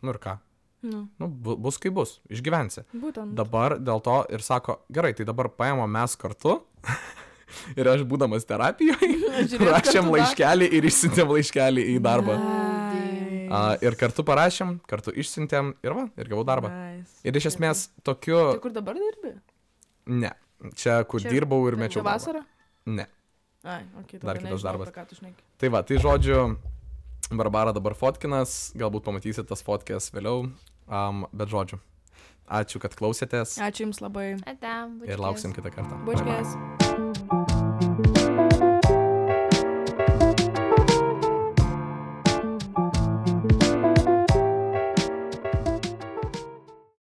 nu ir ką. Nu, bus kaip bus, išgyvensi. Būtent. Dabar dėl to ir sako, gerai, tai dabar paėmė mes kartu ir aš būdamas terapijoje rašėm laiškelį ir išsiuntėm laiškelį į darbą. Ir kartu parašėm, kartu išsiuntėm ir va, ir gavau darbą. Nice. Ir iš esmės tokiu... Tai kur dabar dirbi? Ne, čia kur dirbau ir mečiau darbą. Vasarą? Ne. Ai, okay, Dar kitas darbas. Ką Tai va, tai žodžiu, Barbara dabar fotkinas, galbūt pamatysit tas fotkės vėliau. Bet žodžiu, ačiū, kad klausėtės. Ačiū Jums labai. Ate, ir lauksim kitą kartą. Bučkės.